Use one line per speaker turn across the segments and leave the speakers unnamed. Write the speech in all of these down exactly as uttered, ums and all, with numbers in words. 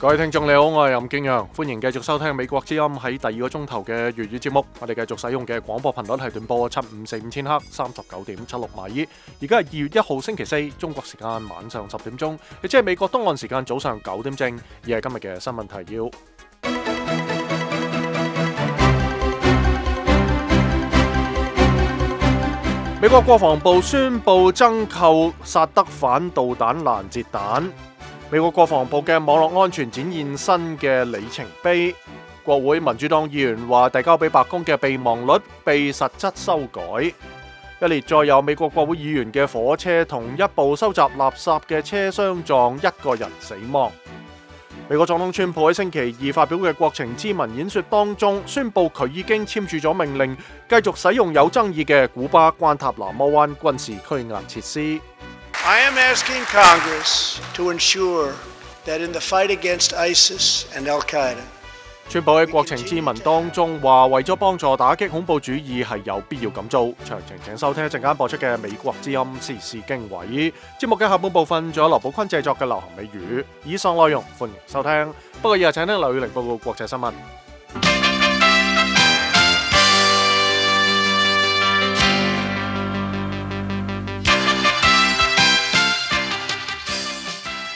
各位聽眾你好，我係任敬陽，歡迎繼續收聽美國之音喺第二個鐘頭嘅粵語節目。我哋繼續使用嘅廣播頻率係短波七五四五千赫，三十九點七六米。而家係二月一號星期四，中國時間晚上十點鐘，亦即係美國東岸時間早上九點正。而係今日嘅新聞提要。美國國防部宣布增購薩德反導彈攔截彈。美國國防部嘅網絡安全展現新嘅里程碑。國會民主黨議員話，遞交俾白宮嘅備忘錄被實質修改。一列載有美國國會議員嘅火車同一部收集垃圾嘅車相撞，一個人死亡。美國總統川普喺星期二發表嘅國情咨文演說當中，宣布佢已經簽署咗命令，繼續使用有爭議嘅古巴關塔那摩灣軍事拘押設施。
I am asking Congress to ensure that in the fight against ISIS and Al-Qaeda，
川普喺國情咨文當中話，為咗幫助打擊恐怖主義係有必要咁做。詳情請收聽一陣間播出嘅美國之音時事經緯節目嘅下半部分，仲有劉寶坤製作嘅流行美語。以上內容歡迎收聽。不過以下請聽劉宇玲報告國際新聞。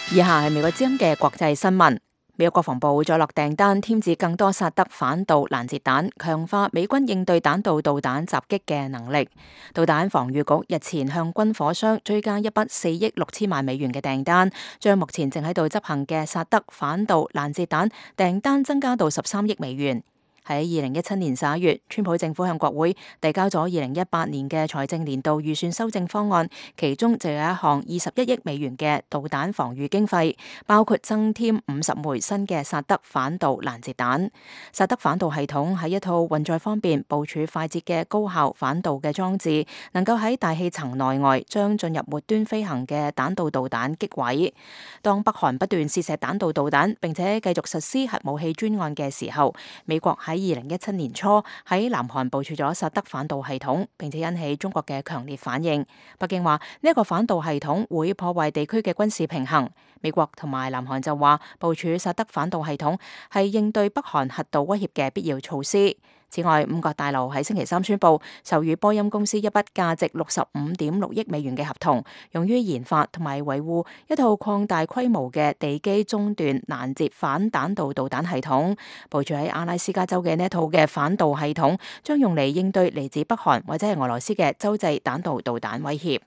以下係美國之音嘅國際新聞。美國國防部再落訂單，添置更多薩德反導攔截彈，強化美軍應對彈道導彈襲擊嘅能力。導彈防禦局日前向軍火商追加一筆四億六千萬美元嘅訂單，將目前正喺度執行嘅薩德反導攔截彈訂單增加到十三億美元。喺二零一七年十一月，川普政府向國會遞交咗二零一八年嘅財政年度預算修正方案，其中就有一項二十一億美元嘅導彈防禦經費，包括增添五十枚新嘅薩德反導攔截彈。薩德反導系統係一套運載方便、部署快捷嘅高效反導嘅裝置，能夠喺大氣層內外將進入末端飛行嘅彈道導彈擊毀。當北韓不斷試射彈道導彈，並且繼續實施核武器專案嘅時候，美國喺二零一七年初喺南韓部署咗薩德反導系統，並且引起中國嘅強烈反應。北京話呢一個反導系統會破壞地區嘅軍事平衡。美國同埋南韓就話部署薩德反導系統係應對北韓核導威脅嘅必要措施。此外，五角大樓喺星期三宣布授予波音公司一筆價值六十五點六億美元嘅合同，用於研發同埋維護一套擴大規模嘅地基中段攔截反彈道導彈系統。部署喺阿拉斯加州嘅呢一套嘅反導系統，將用嚟應對嚟自北韓或者係俄羅斯嘅洲際彈道導彈威脅。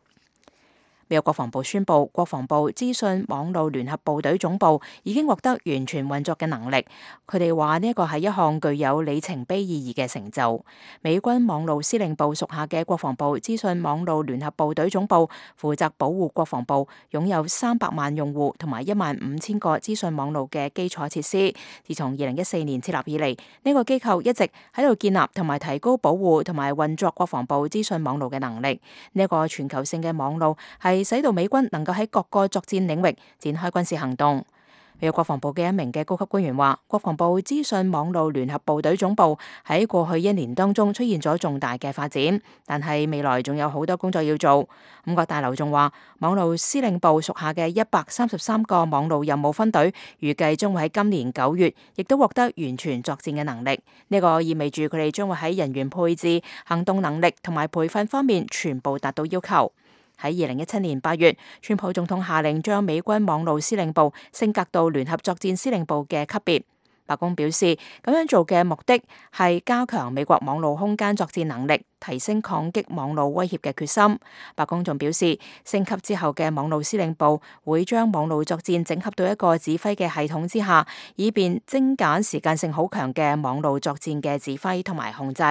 美國國防部宣布，國防部資訊網路聯合部隊總部已經獲得完全運作嘅能力。佢哋話呢一個係一項具有里程碑意義嘅成就。美軍網路司令部屬下嘅國防部資訊網路聯合部隊總部負責保護國防部擁有三百萬用戶同埋一萬五千個資訊網路嘅基礎設施。自從二零一四年設立以嚟，呢個機構一直喺度建立同埋提高保護同埋運作國防部資訊網路嘅能力。呢一個全球性嘅網路係使到美軍能夠喺各個作戰領域展開軍事行動。美國國防部嘅一名嘅高級官員話，國防部資訊網路聯合部隊總部喺過去一年當中出現咗重大嘅發展，但係未來仲有好多工作要做。五角大樓仲話，網路司令部屬下嘅一百三十三個網路任務分隊預計將會喺今年九月亦都獲得完全作戰嘅能力。呢個意味住佢哋將會喺人員配置、行動能力同埋培訓方面全部達到要求。喺二零一七年八月，川普總統下令將美軍網路司令部升格到聯合作戰司令部嘅級別。白宮表示，咁樣做嘅目的係加強美國網路空間作戰能力，提升抗擊網路威脅嘅決心。白宮仲表示，升級之後嘅網路司令部會將網路作戰整合到一個指揮嘅系統之下，以便精簡時間性好強嘅網路作戰嘅指揮同埋控制。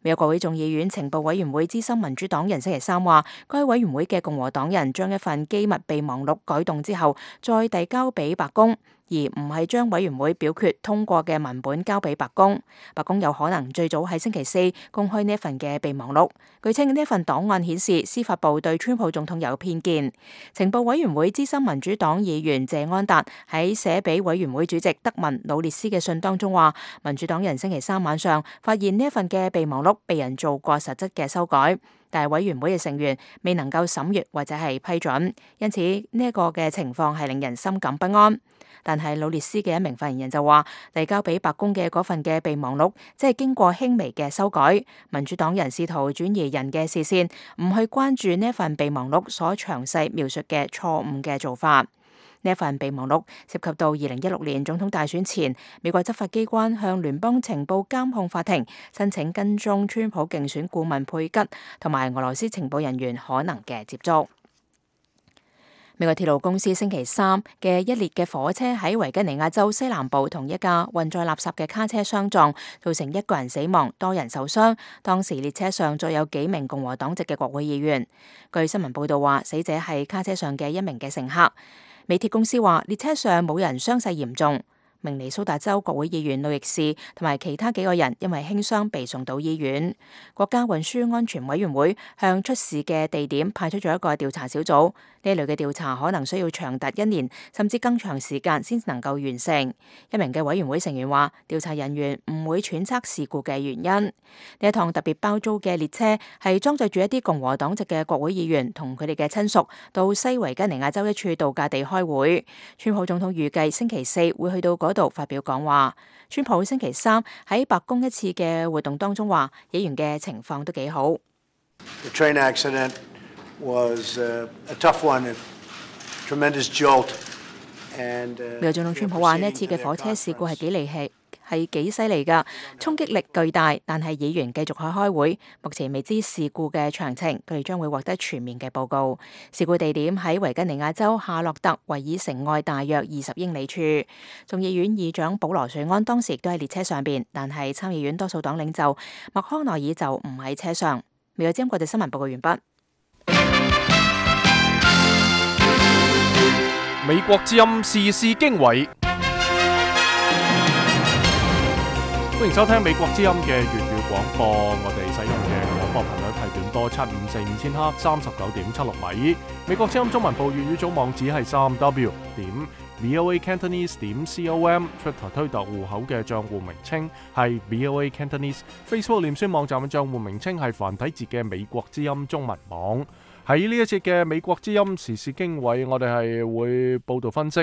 美國國會眾議院情報委員會資深民主黨人星期三話，該委員會嘅共和黨人將一份機密備忘錄改動之後，再遞交俾白宮，而唔係將委員會表決通過嘅文本交俾白宮。白宮有可能最早喺星期四公開呢一份嘅備忘錄。據稱呢一份檔案顯示，司法部對川普總統有偏見。情報委員會資深民主黨議員謝安達喺寫俾委員會主席德文努列斯嘅信當中話，民主黨人星期三晚上發現呢一份嘅備忘錄被人做過實質嘅修改。但係委員會嘅成員未能夠審閱或者係批准，因此呢一個嘅情況係令人心感不安。但係魯列斯嘅一名發言人就話，遞交俾白宮嘅嗰份嘅備忘錄，即係經過輕微嘅修改。民主黨人試圖轉移人嘅視線，唔去關注呢一份備忘錄所詳細描述嘅錯誤嘅做法。呢一份備忘錄涉及到二零一六年總統大選前，美國執法機關向聯邦情報監控法庭申請跟蹤川普競選顧問佩吉同埋俄羅斯情報人員可能嘅接觸。美國鐵路公司星期三嘅一列嘅火車喺維吉尼亞州西南部同一架運載垃圾嘅卡車相撞，造成一個人死亡，多人受傷。當時列車上載有幾名共和黨籍嘅國會議員。據新聞報道話，死者係卡車上嘅一名嘅乘客。美鐵公司話，列車上冇人傷勢嚴重。明尼蘇達州國會議員路易士同埋其他幾個人因為輕傷被送到醫院。國家運輸安全委員會向出事嘅地點派出咗一個調查小組，呢類嘅調查可能需要長達一年甚至更長時間先能夠完成。一名嘅委員會成員話，調查人員唔會揣測事故嘅原因。呢一趟特別包租嘅列車係裝載住一啲共和黨籍嘅國會議員同佢哋嘅親屬到西維吉尼亞州一處度假地開會。川普總統預計星期四會去到嗰度發表講話。川普星期三喺白宮一次嘅活動當中話，議員嘅情況都幾好。
The train accident was a tough one, a tremendous jolt. And
美國總統川普話呢一次嘅火車事故係幾離奇，係幾犀利㗎，衝擊力巨大。但係議員繼續去開會，目前未知事故嘅詳情，佢哋將會獲得全面嘅報告。事故地點喺維吉尼亞州夏洛特維爾城外大約二十英里處。眾議院議長保羅瑞安當時亦都喺列車上邊，但係參議院多數黨領袖麥康奈爾就唔喺車上。美國之音國際新聞報告完畢。
美國之音時事經緯，歡迎收聽美國之音嘅粵語廣播。我哋使用嘅廣播頻率係短波七五四五千赫，三十九點七六米。美國之音中文部粵語組網址係三 w 點 voa cantonese 點 com。Twitter 推特戶口嘅賬戶名稱係 voa cantonese。Facebook 臉書網站嘅賬戶名稱係繁體字嘅美國之音中文網。喺呢一節嘅美國之音時事經緯，我哋係會報道分析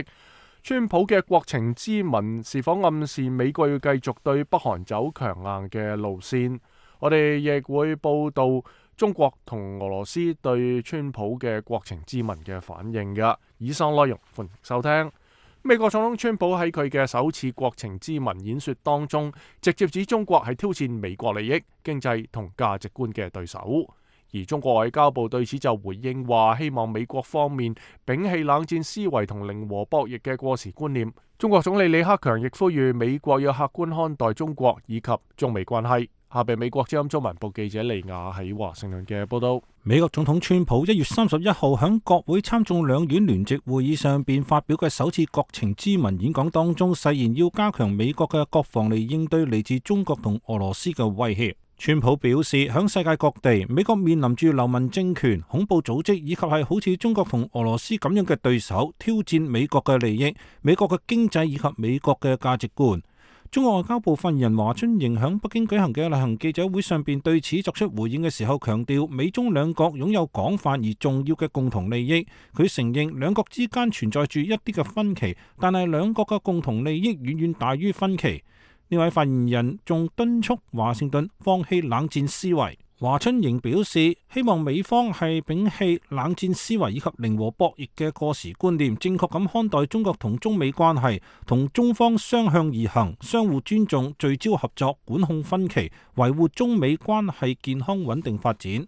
川普嘅國情咨文是否暗示美國要繼續對北韓走強硬嘅路線。我哋亦會報道中國同俄羅斯對川普嘅國情咨文嘅反應嘅。以上內容歡迎收聽。美國總統川普喺佢嘅首次國情咨文演說當中，直接指中國係挑戰美國利益、經濟同價值觀嘅對手。而中國外交部對此就回應話，希望美國方面摒棄冷戰思維同零和博弈嘅過時觀念。中國總理李克強亦呼籲美國要客觀看待中國以及中美關係。下邊美國之音中文部記者利亞喺華盛頓嘅報道。
美國總統川普一月三十一號喺國會參眾兩院聯席會議上邊發表嘅首次國情咨文演講當中，誓言要加強美國嘅國防嚟應對嚟自中國同俄羅斯嘅威脅。川普表示，響世界各地，美國面臨住流氓政權、恐怖組織以及係好似中國同俄羅斯咁樣嘅對手，挑戰美國嘅利益、美國嘅經濟以及美國嘅價值觀。中國外交部發言人華春瑩響北京舉行嘅例行記者會上邊對此作出回應嘅時候，強調美中兩國擁有廣泛而重要嘅共同利益。佢承認兩國之間存在住一啲嘅分歧，但係兩國嘅共同利益遠遠大於分歧。呢位發言人仲敦促華盛頓放棄冷戰思維。華春瑩表示，希望美方係摒棄冷戰思維以及零和博弈嘅過時觀念，正確咁看待中國同中美關係，同中方相向而行，相互尊重，聚焦合作，管控分歧，維護中美關係健康穩定發展。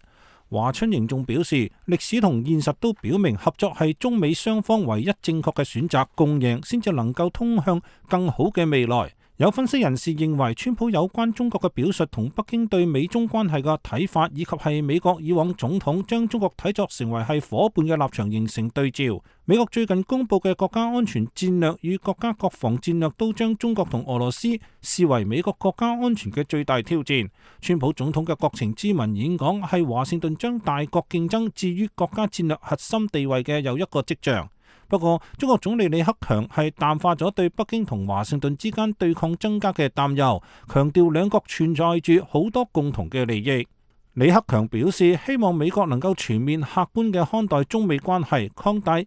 華春瑩仲表示，歷史同現實都表明合作係中美雙方唯一正確嘅選擇，共贏先至能夠通向更好嘅未來。有分析人士認為，川普有關中國嘅表述同北京對美中關係嘅睇法，以及係美國以往總統將中國睇作成為係夥伴嘅立場形成對照。美國最近公布嘅國家安全戰略與國家國防戰略都將中國同俄羅斯視為美國國家安全嘅最大挑戰。川普總統嘅國情咨文演講係華盛頓將大國競爭置於國家戰略核心地位嘅又一個跡象。不過，中國總理李克強係淡化咗對北京同華盛頓之間對抗增加嘅擔憂，強調兩國存在住好多共同嘅利益。李克強表示，希望美國能夠全面客觀嘅看待中美關係，擴大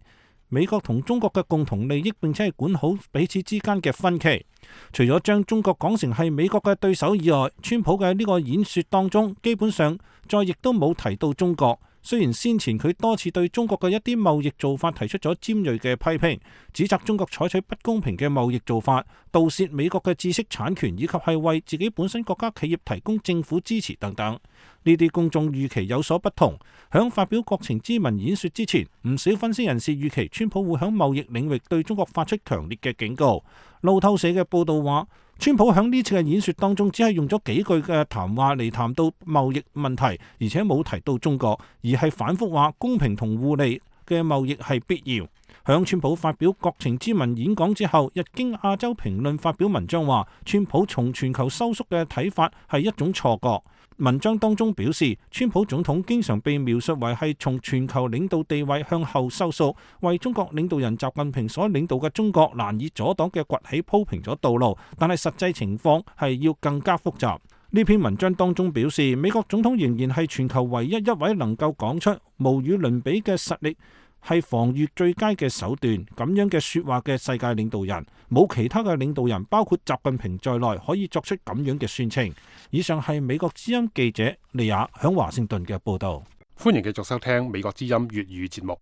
美國同中國嘅共同利益，並且係管好彼此之間嘅分歧。除咗將中國講成係美國嘅對手以外，川普嘅呢個演說當中，基本上再亦都冇提到中國。雖然先前佢多次對中國嘅一啲貿易做法提出咗尖銳嘅批評，指責中國採取不公平嘅貿易做法，盜竊美國嘅知識產權，以及係為自己本身國家企業提供政府支持等等。呢啲公眾預期有所不同。響發表國情咨文演說之前，唔少分析人士預期川普會響貿易領域對中國發出強烈嘅警告。路透社嘅報道話，川普響呢次嘅演說當中，只係用咗幾句嘅談話嚟談到貿易問題，而且冇提到中國，而係反覆話公平同互利嘅貿易係必要。響川普發表國情咨文演講之後，日經亞洲評論發表文章話，川普從全球收縮嘅睇法係一種錯覺。文章當中表示，川普總統經常被描述為係從全球領導地位向後收縮，為中國領導人習近平所領導嘅中國難以阻擋嘅崛起鋪平咗道路，但係實際情況係要更加複雜。呢篇文章當中表示，美國總統仍然係全球唯一一位能夠講出無與倫比嘅實力係防禦最佳嘅手段咁樣嘅說話嘅世界領導人，冇其他嘅領導人，包括習近平在內，可以作出咁樣嘅宣稱。以上係美國之音記者利亞響華盛頓嘅報道。
歡迎繼續收聽美國之音粵語節目。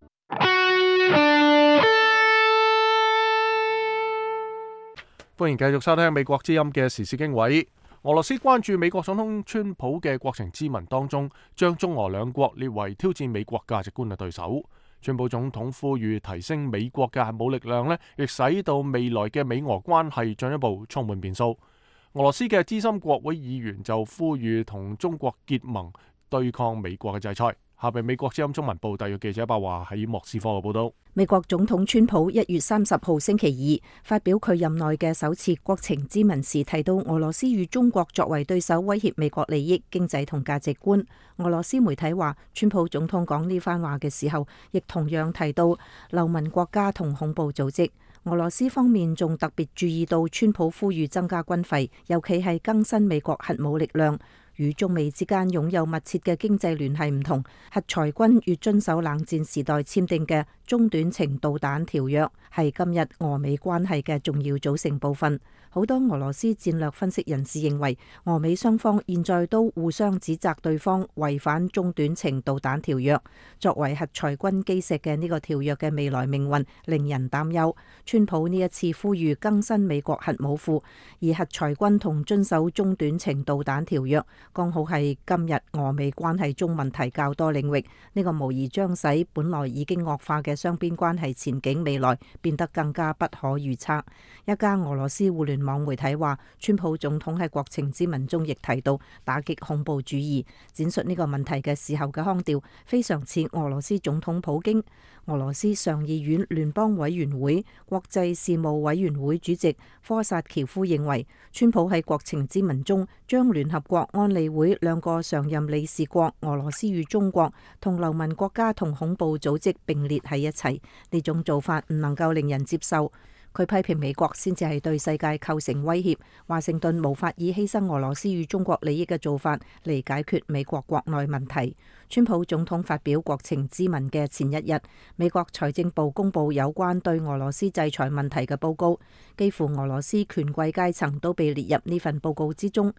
歡迎繼續收聽美國之音嘅時事經緯。俄羅斯關注美國總統川普嘅國情咨文當中，將中俄兩國列為挑戰美國價值觀嘅對手。川普總統呼籲提升美國嘅核武力量呢，亦使到未來嘅美俄關係進一步充滿變數。俄羅斯嘅資深國會議員就呼籲同中國結盟，對抗美國嘅制裁。下邊美國之音中文部特約記者白華喺莫斯科嘅報道。
美國總統川普一月三十號星期二發表佢任內嘅首次國情咨文時，提到俄羅斯與中國作為對手，威脅美國利益、經濟同價值觀。俄羅斯媒體話，川普總統講呢番話嘅時候，亦同樣提到流氓國家同恐怖組織。俄羅斯方面仲特別注意到川普呼籲增加軍費，尤其係更新美國核武力量。與中美之間擁有密切嘅經濟聯繫唔同，核裁軍越遵守冷戰時代簽訂嘅中短程導彈條約，係今日俄美關係嘅重要組成部分。好多俄羅斯戰略分析人士認為，俄美雙方現在都互相指責對方違反中短程導彈條約。作為核裁軍基石嘅呢個條約嘅未來命運令人擔憂。川普呢一次呼籲更新美國核武庫，而核裁軍同遵守中短程導彈條約，剛好係今日俄美關係中問題較多領域。呢、這個無疑將使本來已經惡化嘅雙邊關係前景未來變得更加不可預測。一家俄羅斯互聯網媒體話，川普總統喺國情咨文中亦提到打擊恐怖主義，闡述呢個問題嘅時候嘅腔調非常似俄羅斯總統普京。俄羅斯上議院聯邦委員會國際事務委員會主席科薩喬夫認為，川普喺國情咨文中將聯合國安理會兩個常任理事國俄羅斯與中國同流氓國家同恐怖組織並列喺一齊，呢種做法唔能夠令人接受。佢批評美國先至係對世界構成威脅，華盛頓無法以犧牲俄羅斯與中國利益嘅做法嚟解決美國國內問題。川普總統發表國情咨文嘅前一日，美國財政部公布有關對俄羅斯制裁問題嘅報告，幾乎俄羅斯權貴階層都被列入呢份報告之中。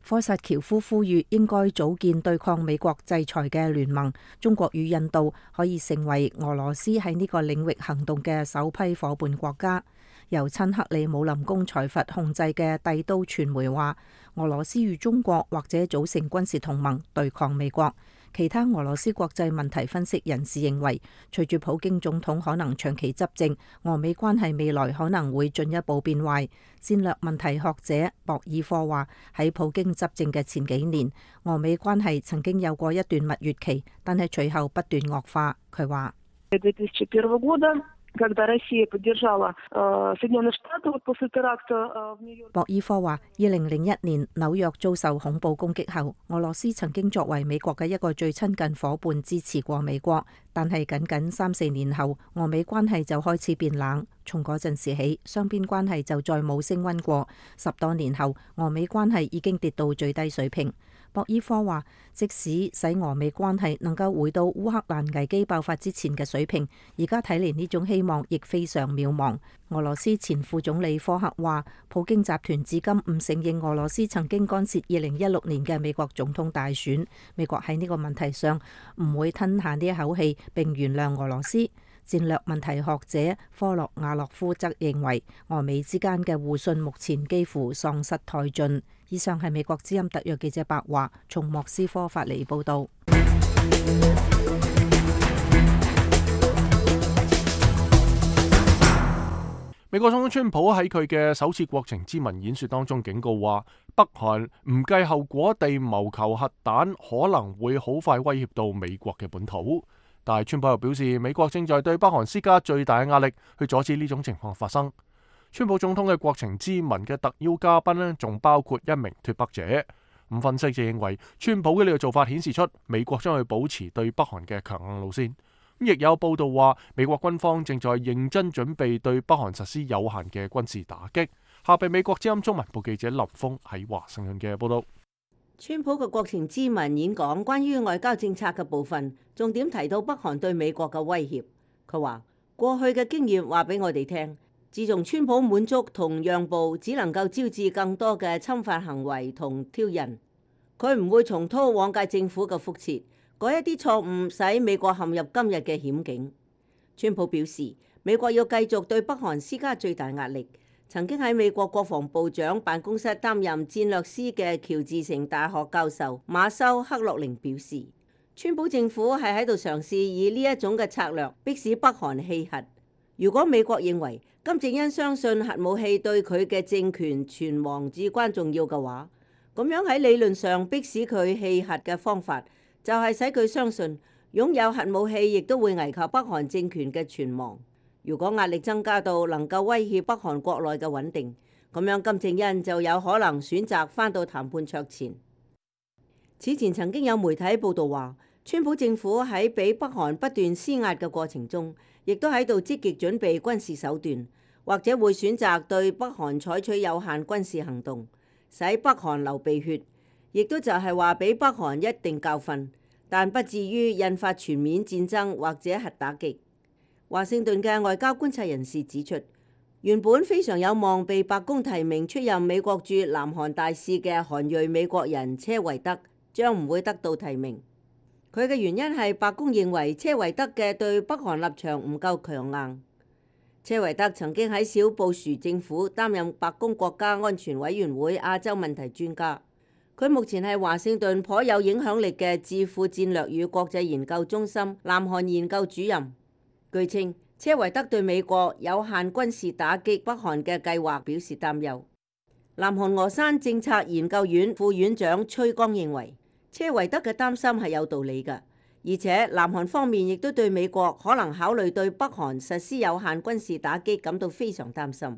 科薩喬夫呼籲應該組建對抗美國制裁嘅聯盟，中國與印度可以成為俄羅斯喺呢個領域行動嘅首批夥伴國家。由親克里姆林宮財閥控制嘅帝都傳媒話，俄羅斯與中國或者組成軍事同盟對抗美國。其他俄羅斯國際問題分析人士認為，隨住普京總統可能長期執政，俄美關係未來可能會進一步變壞。戰略問題學者博爾科話，喺普京執政嘅前幾年，俄美關係曾經有過一段蜜月期，但係隨後不斷惡化。佢話博爾科話，二零零一年紐約遭受恐怖攻擊後，俄羅斯曾經作為美國嘅一個最親近夥伴支持過美國，但係僅僅三四年後，俄美關係就開始變冷。從嗰陣時起，雙邊關係就再冇升溫過。十多年後，俄美關係已經跌到最低水平。博伊科話，即使使俄美關係能夠回到烏克蘭危機爆發之前嘅水平，而家睇嚟呢種希望亦非常渺茫。俄羅斯前副總理科克話，普京集團至今唔承認俄羅斯曾經干涉二零一六年嘅美國總統大選。美國喺呢個問題上唔會吞下呢一口氣並原諒俄羅斯。戰略問題學者科洛亞洛夫則認為，俄美之間嘅互信目前幾乎喪失殆盡。以上係美國之音特約記者白華從莫斯科發嚟報道。
美國總統川普喺佢嘅首次國情咨文演說當中警告話，北韓唔計後果地謀求核彈，可能會好快威脅到美國嘅本土。但係川普又表示，美國正在對北韓施加最大嘅壓力，去阻止呢種情況發生。川普總統嘅國情咨文嘅特邀嘉賓呢，仲包括一名脫北者。咁分析就認為，川普嘅呢個做法顯示出美國將會保持對北韓嘅強硬路線。亦有報道話，美國軍方正在認真準備對北韓實施有限嘅軍事打擊。下邊美國之音中文部記者林峰喺華盛頓嘅報道。
川普嘅國情咨文演講關於外交政策嘅部分，重點提到北韓對美國嘅威脅。佢話過去嘅經驗話俾我哋聽，自從川普滿足同讓步，只能夠招致更多嘅侵犯行為同挑釁。佢唔會重蹈往屆政府嘅覆轍，改一啲錯誤，使美國陷入今日嘅險境。川普表示，美國要繼續對北韓施加最大壓力。曾經喺美國國防部長辦公室擔任戰略師嘅喬治城大學教授馬修克洛寧表示，川普政府係喺度嘗試以呢一種嘅策略迫使北韓棄核。如果美國認為金正恩相信核武器對佢嘅政權存亡至關重要嘅話，咁樣喺理論上迫使佢棄核嘅方法，就係使佢相信擁有核武器亦都會危及北韓政權嘅存亡。如果壓力增加到能夠威脅北韓國內嘅穩定，咁樣金正恩就有可能選擇返到談判桌前。此前曾經有媒體報道話，川普政府喺俾北韓不斷施壓嘅過程中，亦都喺度積極準備軍事手段，或者會選擇對北韓採取有限軍事行動，使北韓流鼻血，亦都就係話俾北韓一定教訓，但不至於引發全面戰爭或者核打擊。華盛頓嘅外交觀察人士指出，原本非常有望被白宮提名出任美國駐南韓大使嘅韓裔美國人車維德將唔會得到提名。佢嘅原因係白宮認為車維德嘅對北韓立場唔夠強硬。車維德曾經喺小布殊政府擔任白宮國家安全委員會亞洲問題專家。佢目前係華盛頓頗有影響力嘅智庫戰略與國際研究中心南韓研究主任。據稱，車維德對美國有限軍事打擊北韓嘅計劃表示擔憂。南韓峨山政策研究院副院長崔剛認為，車維德嘅擔心係有道理嘅，而且南韓方面亦都對美國可能考慮對北韓實施有限軍事打擊感到非常擔心。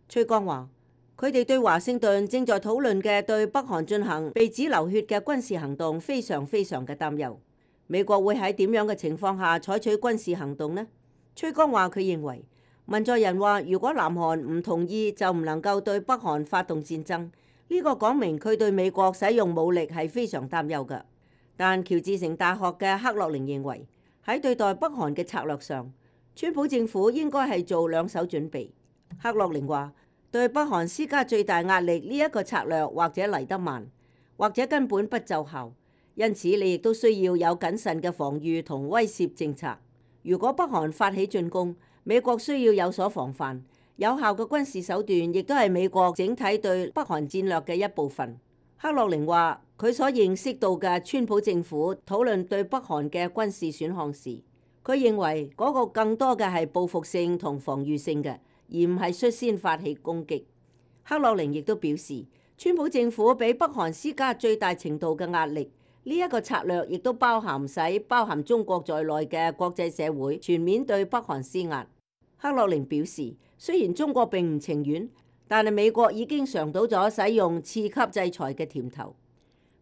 崔剛話，佢哋對華盛頓正在討論嘅對北韓進行被指流血嘅軍事行動非常非常嘅擔憂。美國會喺點樣嘅情況下採取軍事行動呢？崔剛話：佢認為文在寅話，如果南韓唔同意，就唔能夠對北韓發動戰爭。呢個講明佢對美國使用武力係非常擔憂嘅。但喬治城大學嘅克洛寧認為，喺對待北韓嘅策略上，川普政府應該係做兩手準備。克洛寧話：對北韓施加最大壓力呢一個策略，或者嚟得慢，或者根本不奏效。因此，你亦都需要有謹慎嘅防禦同威懾政策。如果北韓發起進攻，美國需要有所防範。有效嘅軍事手段亦都係美國整體對北韓戰略嘅一部分。克洛寧話：佢所認識到嘅川普政府討論對北韓嘅軍事選項時，佢認為嗰個更多嘅係報復性同防禦性嘅，而唔係率先發起攻擊。克洛寧亦都表示，川普政府俾北韓施加最大程度嘅壓力。呢一個策略亦都包含使包含中國在內嘅國際社會全面對北韓施壓。克洛寧表示，雖然中國並唔情願，但係美國已經嘗到咗使用次級制裁嘅甜頭。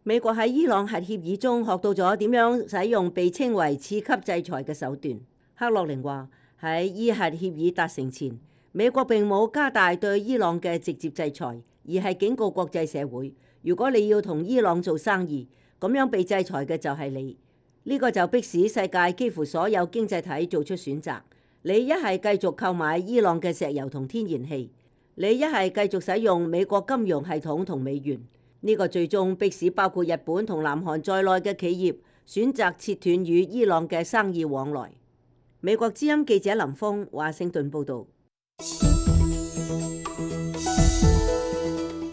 美國喺伊朗核協議中學到咗點樣使用被稱為次級制裁嘅手段。克洛寧話：喺伊核協議達成前，美國並冇加大對伊朗嘅直接制裁，而係警告國際社會，如果你要同伊朗做生意，咁樣被制裁嘅就係你。呢個就迫使世界幾乎所有經濟體做出選擇。你一係繼續購買伊朗嘅石油同天然氣，你一係繼續使用美國金融系統同美元。呢個最終迫使包括日本同南韓在內嘅企業選擇切斷與伊朗嘅生意往來。美國之音記者林峰，華盛頓報導。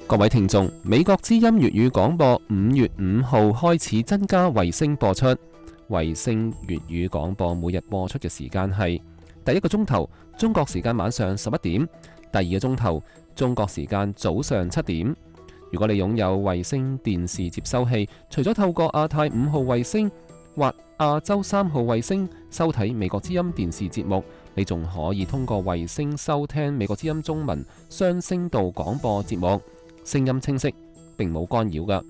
各位聽眾，美國之音粵語廣播五月五號開始增加衛星播出。衛星粵語廣播每日播出嘅時間係第一個鐘頭中國時間晚上十一點，第二個鐘頭中國時間早上七點。如果你擁有衛星電視接收器，除咗透過亞太五號衛星或亞洲三號衛星收睇美國之音電視節目，你仲可以通過衛星收聽美國之音中文雙聲道廣播節目，聲音清晰，並冇干擾㗎。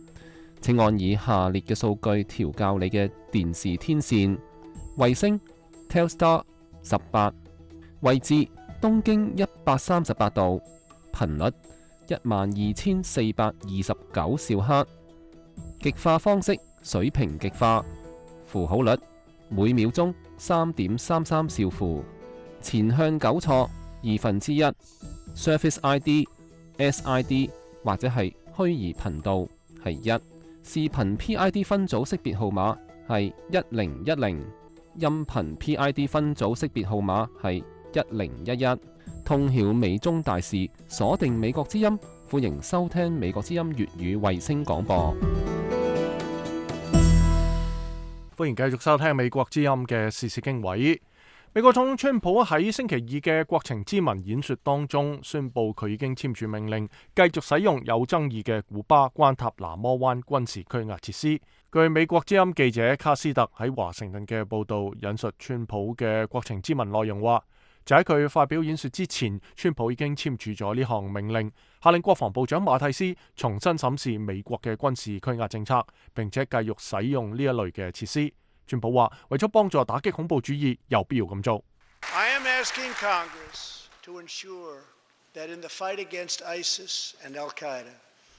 請按以下列嘅數據調校你嘅電視天線：衛星 Telstar 十八，位置東經一百三十八度，頻率一萬二千四百二十九兆赫，極化方式水平極化，符號率每秒鐘三點三三兆符，前向糾錯二分之一 ，Surface I D、S I D 或者係虛擬頻道係一。視頻 P I D 分組識別號碼係一零一零，音頻 P I D 分組識別號碼係一零一一。通曉美中大事，鎖定美國之音，歡迎收聽美國之音粵語衛星廣播。
歡迎繼續收聽美國之音嘅時事經緯。美國總統川普喺星期二嘅國情咨文演說當中宣布，佢已經簽署命令，繼續使用有爭議嘅古巴關塔那摩灣軍事拘押設施。據美國之音記者卡斯特喺華盛頓嘅報道引述川普嘅國情咨文內容話，就喺佢發表演說之前，川普已經簽署咗呢項命令，下令國防部長馬蒂斯重新審視美國嘅軍事拘押政策，並且繼續使用呢一類嘅設施。川普話，為咗幫助打擊恐怖主義，有必要咁做。
I am asking Congress to ensure that in the fight against ISIS and Al-Qaeda，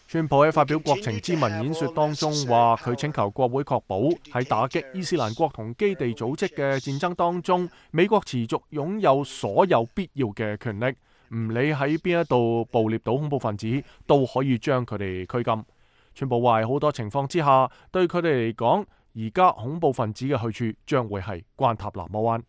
川普喺發表國情咨文演說當中話，佢請求國會確保喺打擊伊斯蘭國同基地組織嘅戰爭當中，美國持續擁有所有必要嘅權力，唔理喺邊一度捕獵到恐怖分子，都可以將佢哋拘禁。川普話，喺好多情況之下，對佢哋嚟講，而家恐怖分子嘅去處將會係關塔那摩灣。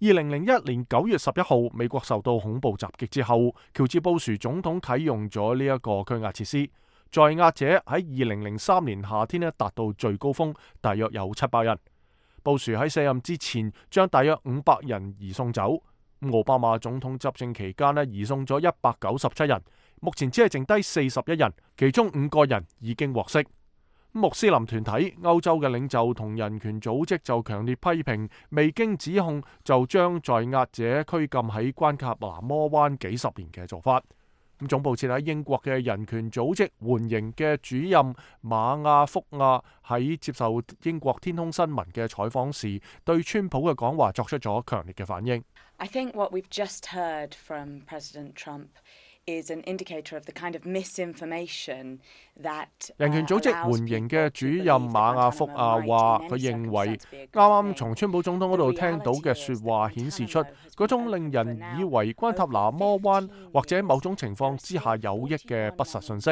二零零一年九月十一號，美國受到恐怖襲擊之後，喬治布殊總統啟用咗呢一個拘押設施。在押者喺二零零三年夏天呢達到最高峰，大約有七百人。布殊喺卸任之前，將大約五百人移送走。奧巴馬總統執政期間呢，移送咗一百九十七人，目前只係剩低四十一人，其中五個人已經獲釋。穆斯林團體、歐洲嘅領袖同人權組織就強烈批評，未經指控就將在押者拘禁喺關塔那摩灣幾十年嘅做法。咁總部設喺英國嘅人權組織緩刑嘅主任馬亞福亞喺接受英國天空新聞嘅採訪時，對川普嘅講話作出咗強烈嘅反應。
I think what we've just heard from President Trump is an indicator of the kind of misinformation that
人權組織緩刑嘅主任馬亞福亞話，佢認為啱啱從川普總統嗰度聽到嘅說話顯示出嗰種令人以為關塔那摩灣或者某種情況之下有益嘅不實信息。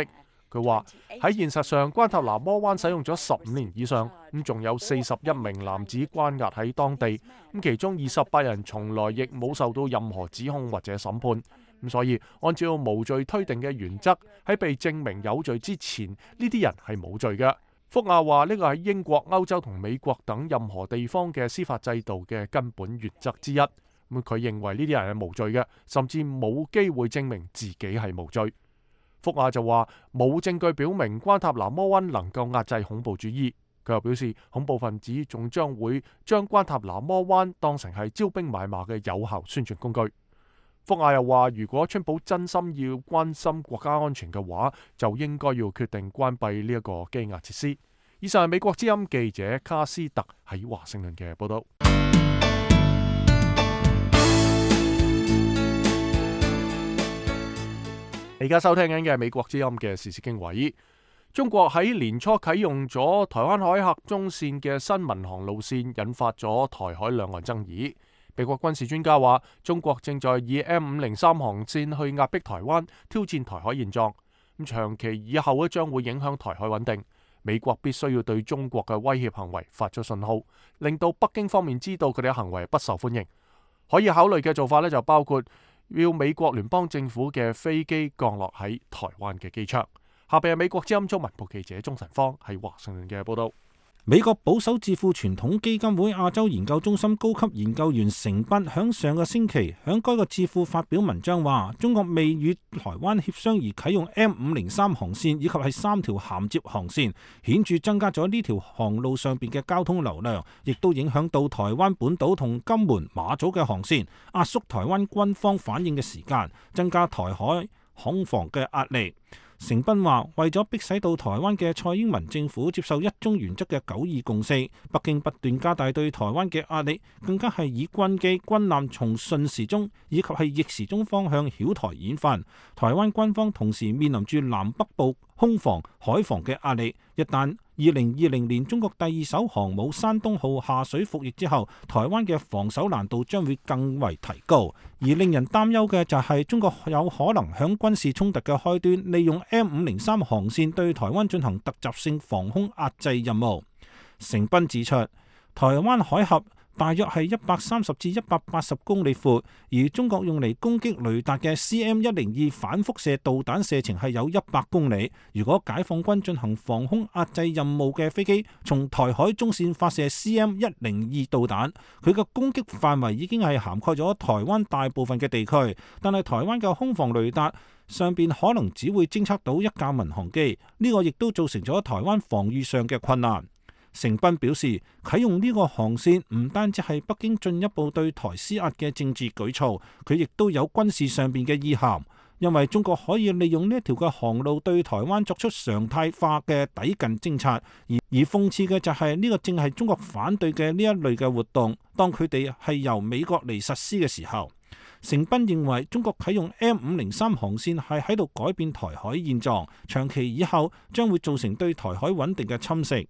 佢話喺現實上，關塔那摩灣使用咗十五年以上，咁仲有四十一名男子關押喺當地，咁其中二十八人從來亦冇受到任何指控或者審判。咁所以，按照無罪推定嘅原則，喺被證明有罪之前，呢啲人係冇罪嘅。福亞話呢個係英國、歐洲同美國等任何地方嘅司法制度嘅根本原則之一。咁佢認為呢啲人係無罪嘅，甚至冇機會證明自己係無罪。福亞就話冇證據表明關塔那摩灣能夠壓制恐怖主義。佢又表示，恐怖分子仲將會將關塔那摩灣當成係招兵買馬嘅有效宣傳工具。福亞又話，如果川普真心要關心國家安全嘅話，就應該要決定關閉呢一個羈押設施。以上係美國之音記者卡斯特喺華盛頓嘅報道。你而家收聽緊嘅係美國之音嘅時事經緯。中國喺年初啟用咗台灣海峽中線嘅新民航路線，引發咗台海兩岸爭議。美國軍事專家話，中國正在以 M 五零三航線去壓迫台灣，挑戰台海現狀。咁長期以後咧，將會影響台海穩定。美國必須要對中國嘅威脅行為發出信號，令到北京方面知道佢哋嘅行為不受歡迎。可以考慮嘅做法咧，就包括要美國聯邦政府嘅飛機降落喺台灣嘅機場。下邊係美國之音中文部記者鍾晨芳喺華盛頓嘅報道。
美國保守智庫傳統基金會亞洲研究中心高級研究員成斌響上個星期響該個智庫發表文章話，中國未與台灣協商而啟用 M 五零三航線以及係三條銜接航線，顯著增加咗呢條航路上邊嘅交通流量，亦都影響到台灣本島同金門、馬祖嘅航線，壓縮台灣軍方反應嘅時間，增加台海恐防嘅壓力。成斌話，為咗迫使到台灣嘅蔡英文政府接受一中原則嘅九二共識，北京不斷加大對台灣嘅壓力，更加係以軍機、軍艦從順時鐘以及係逆時鐘方向繞台演訓。台灣軍方同時面臨住南北部空防、海防嘅壓力。一旦二零二零年中國第二艘航母山東號下水服役之後，台灣嘅防守難度將會更為提高。而令人擔憂嘅就係中國有可能響軍事衝突嘅開端，利用 M 五零三航線對台灣進行突襲性防空壓制任務。成斌指出，台灣海峽大約係一百三十至一百八十公里闊，而中國用嚟攻擊雷達嘅 C M 一零二反輻射導彈射程係有一百公里。如果解放軍進行防空壓制任務嘅飛機從台海中線發射 C M 一零二導彈，佢嘅攻擊範圍已經係涵蓋咗台灣大部分嘅地區，但係台灣嘅空防雷達上邊可能只會偵測到一架民航機，呢個亦都造成咗台灣防禦上嘅困難。成斌表示，啟用呢個航線唔單止係北京進一步對台施壓嘅政治舉措，佢亦都有軍事上邊嘅意涵，因為中國可以利用呢一條嘅航路對台灣作出常態化嘅抵近偵察，而而諷刺嘅就係呢個正係中國反對嘅呢一類嘅活動，當佢哋係由美國嚟實施嘅時候。成斌認為中國啟用 M 五零三航線係喺度改變台海現狀，長期以後將會造成對台海穩定嘅侵蝕。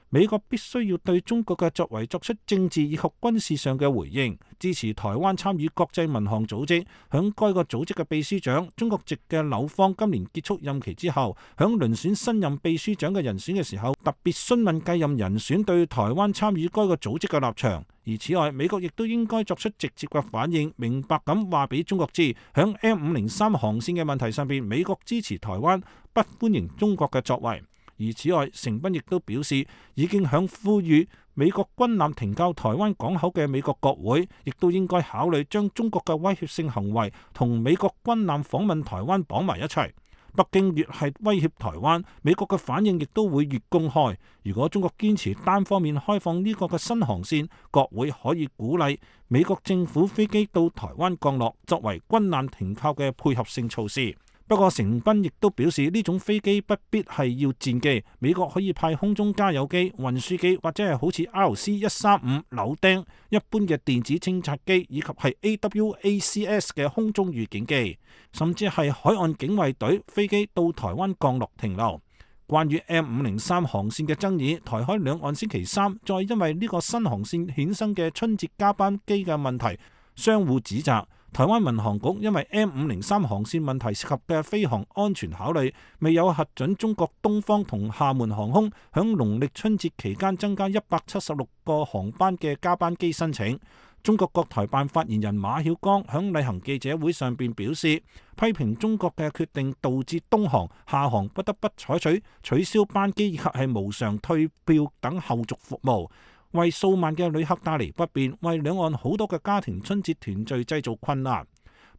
美國必須要對中國嘅作為作出政治以及軍事上嘅回應，支持台灣參與國際民航組織。響該個組織嘅秘書長，中國籍嘅柳芳今年結束任期之後，響遴選新任秘書長嘅人選嘅時候，特別詢問繼任人選對台灣參與該個組織嘅立場。而此外，美國亦都應該作出直接嘅反應，明白咁話俾中國知，響 M 五零三航線嘅問題上邊，美國支持台灣，不歡迎中國嘅作為。而此外，成斌亦都表示，已經響呼籲美國軍艦停靠台灣港口嘅美國國會，亦都應該考慮將中國嘅威脅性行為同美國軍艦訪問台灣綁埋一齊。北京越係威脅台灣，美國嘅反應亦都會越公開。如果中國堅持單方面開放呢個嘅新航線，國會可以鼓勵美國政府飛機到台灣降落，作為軍艦停靠嘅配合性措施。不過，成斌亦都表示，呢種飛機不必係要戰機，美國可以派空中加油機、運輸機，或者係好似 R C 一三五柳釘一般嘅電子偵察機，以及係 A W A C S 嘅空中預警機，甚至係海岸警衛隊飛機到台灣降落停留。關於 M 五零三航線嘅爭議，台海兩岸星期三再因為呢個新航線衍生嘅春節加班機嘅問題相互指責。台灣民航局因為 M 五零三航線問題涉及嘅飛航安全考慮，未有核准中國東方同廈門航空響農曆春節期間增加一百七十六個航班嘅加班機申請。中國國台辦發言人馬曉光響例行記者會上邊表示，批評中國嘅決定導致東航、廈航不得不採取取消班機以及係無償退票等後續服務，為數萬嘅旅客帶嚟不便，為兩岸好多嘅家庭春節團聚製造困難。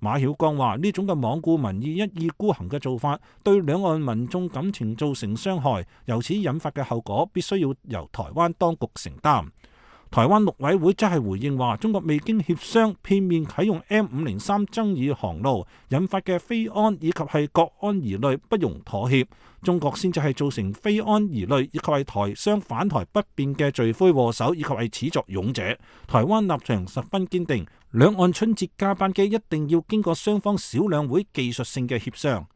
馬曉光話：呢種嘅罔顧民意、一意孤行嘅做法，對兩岸民眾感情造成傷害，由此引發嘅後果必須要由台灣當局承擔。台灣陸委會則係回應話，中國未經協商，片面啟用 M 五零三爭議航路，引發嘅飛安以及係國安疑慮不容妥協。中國先至係造成飛安疑慮以及係台商返台不便嘅罪魁禍首，以及係始作俑者。台灣立場十分堅定，兩岸春節加班機一定要經過雙方小兩會技術性嘅協商。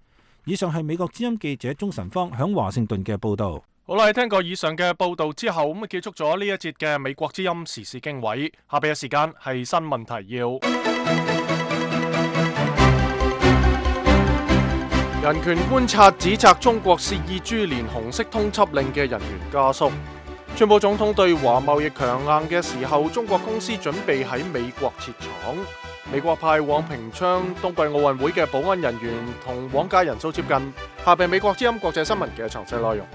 以上係美國之音記者鍾晨芳響華盛頓嘅報導。
好啦，聽過以上嘅報導之後，咁啊結束咗呢一節嘅美國之音時事經緯。下邊嘅時間係新聞提要。人權觀察指責中國肆意株連紅色通緝令嘅人員家屬。川普總統對華貿易強硬嘅時候，中國公司準備喺美國設廠。美國派往平昌冬季奧運會嘅保安人員同往屆人數接近。下邊美國之音國際新聞嘅詳細內容。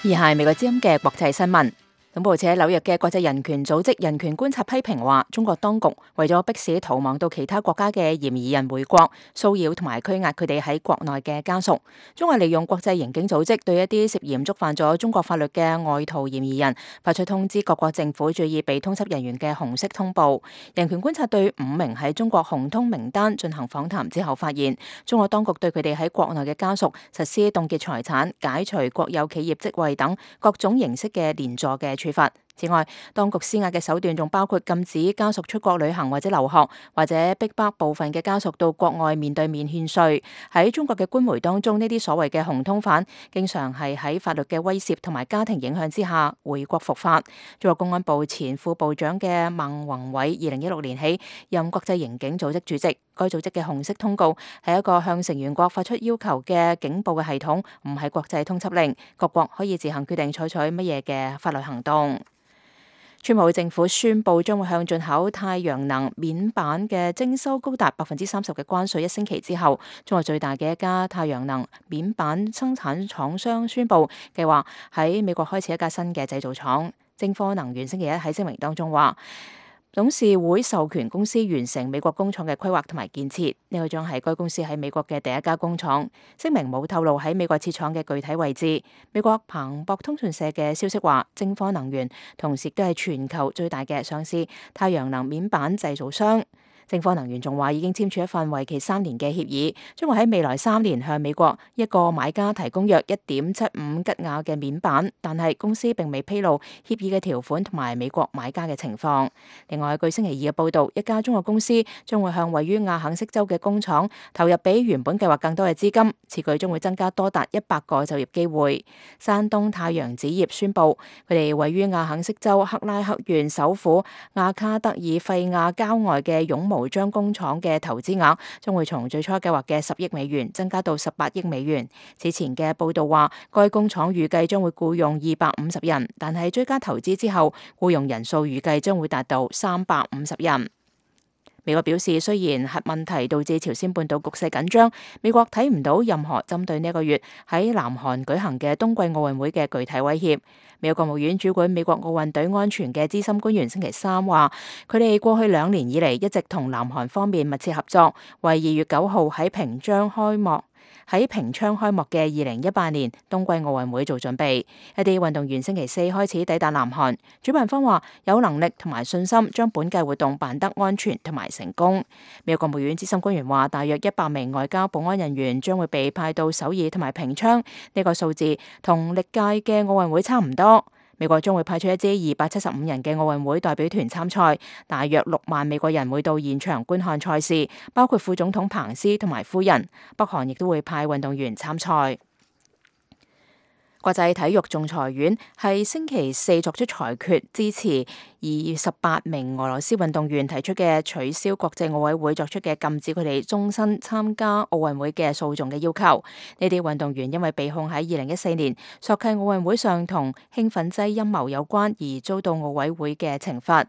而係美國之音嘅國際新聞。總部設喺紐約嘅國際人權組織人權觀察批評話，中國當局為咗迫使逃亡到其他國家嘅嫌疑人回國，騷擾同埋拘押佢哋喺國內嘅家屬。中國利用國際刑警組織對一啲涉嫌觸犯咗中國法律嘅外逃嫌疑人發出通知，各國政府注意被通緝人員嘅紅色通報。人權觀察對五名喺中國紅通名單進行訪談之後發現，中國當局對佢哋喺國內嘅家屬實施凍結財產、解除國有企業職位等各種形式嘅連坐嘅處罰。此外，當局施壓嘅手段仲包括禁止家屬出國旅行或者留學，或者逼迫部分嘅家屬到國外面對面勸稅。喺中國嘅官媒當中，呢啲所謂嘅紅通犯經常係喺法律嘅威懾同埋家庭影響之下回國伏法。中國公安部前副部長嘅孟宏偉二零一六年起任國際刑警組織主席。該組織嘅紅色通告係一個向成員國發出要求嘅警報嘅系統，唔係國際通緝令。各國可以自行決定採取乜嘢嘅法律行動。川普政府宣布將會向進口太陽能面板嘅徵收高達百分之三十嘅關稅。一星期之後，中國最大嘅一家太陽能面板生產廠商宣布計劃喺美國開設一家新嘅製造廠。晶科能源星期一喺聲明當中話，董事會授權公司完成美國工廠嘅規劃同埋建設，呢個將係該公司喺美國嘅第一家工廠。聲明冇透露喺美國設廠嘅具體位置。美國彭博通訊社嘅消息話，晶科能源同時都係全球最大嘅上市太陽能面板製造商。晶科能源仲話已經簽署一份為期三年嘅協議，將會喺未來三年向美國一個買家提供約一點七五吉瓦嘅面板，但係公司並未披露協議嘅條款同埋美國買家嘅情況。另外，據星期二嘅報導，一家中國公司將會向位於亞肯色州嘅工廠投入比原本計劃更多嘅資金，此舉將會增加多達一百個就業機會。山東太陽紙業宣布，佢哋位於亞肯色州克拉克縣首府亞卡德爾費亞郊外嘅絨毛將工廠嘅投資額將會從最初計劃嘅十億美元增加到十八億美元。此前嘅報道話，該工廠預計將會僱用二百五十人，但係追加投資之後，僱用人數預計將會達到三百五十人。美國表示，雖然核問題導致朝鮮半島局勢緊張，美國睇唔到任何針對呢個月喺南韓舉行嘅冬季奧運會嘅具體威脅。美國國務院主管美國奧運隊安全嘅資深官員星期三話，佢哋過去兩年以嚟一直同南韓方面密切合作，為二月九號喺平昌開幕喺平昌開幕嘅二零一八年冬季奧運會做準備。一啲運動員星期四開始抵達南韓，主辦方話有能力同埋信心將本屆活動辦得安全同埋成功。美國國務院資深官員話，大約一百名外交保安人員將會被派到首爾同埋平昌，呢個數字同歷屆嘅奧運會差唔多。美國將會派出一支二百七十五人嘅奧運會代表團參賽，大約六萬美國人會到現場觀看賽事，包括副總統彭斯同埋夫人。北韓亦都會派運動員參賽。國際體育仲裁院係星期四作出裁決，支持二十八名俄羅斯運動員提出嘅取消國際奧委會作出嘅禁止佢哋終身參加奧運會嘅訴訟嘅要求。呢啲運動員因為被控喺二零一四年索契奧運會上同興奮劑陰謀有關而遭到奧委會嘅懲罰。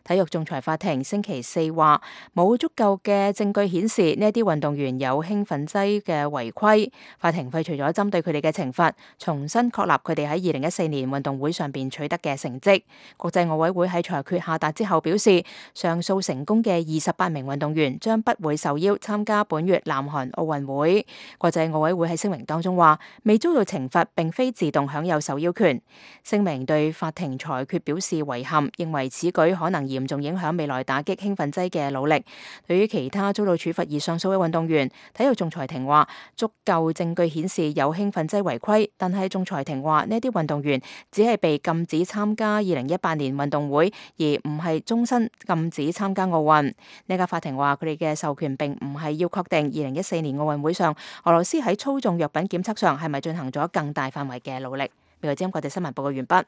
體育仲裁法庭星期四話，冇足夠嘅證據顯示呢啲運動員有興奮劑嘅違規。法庭廢除咗針對佢哋嘅懲罰，重新確立佢哋喺二零一四年運動會上邊取得嘅成績。國際奧委會喺裁決下達之後表示，上訴成功嘅二十八名運動員將不會受邀參加本月南韓奧運會。國際奧委會喺聲明當中話，未遭到懲罰並非自動享有受邀權。聲明對法庭裁決表示遺憾，認為此舉可能嚴重影響未來打擊興奮劑嘅努力。對於其他遭到處罰而上訴嘅運動員，體育仲裁庭話足夠證據顯示有興奮劑違規，但係仲裁庭話呢啲運動員只係被禁止參加二零一八年運動會，而唔係終身禁止參加奧運。呢家法庭話佢哋嘅授權並唔係要確定二零一四年奧運會上俄羅斯喺操縱藥品檢測上係咪進行咗更大範圍嘅努力。美國之音國際新聞報告完畢。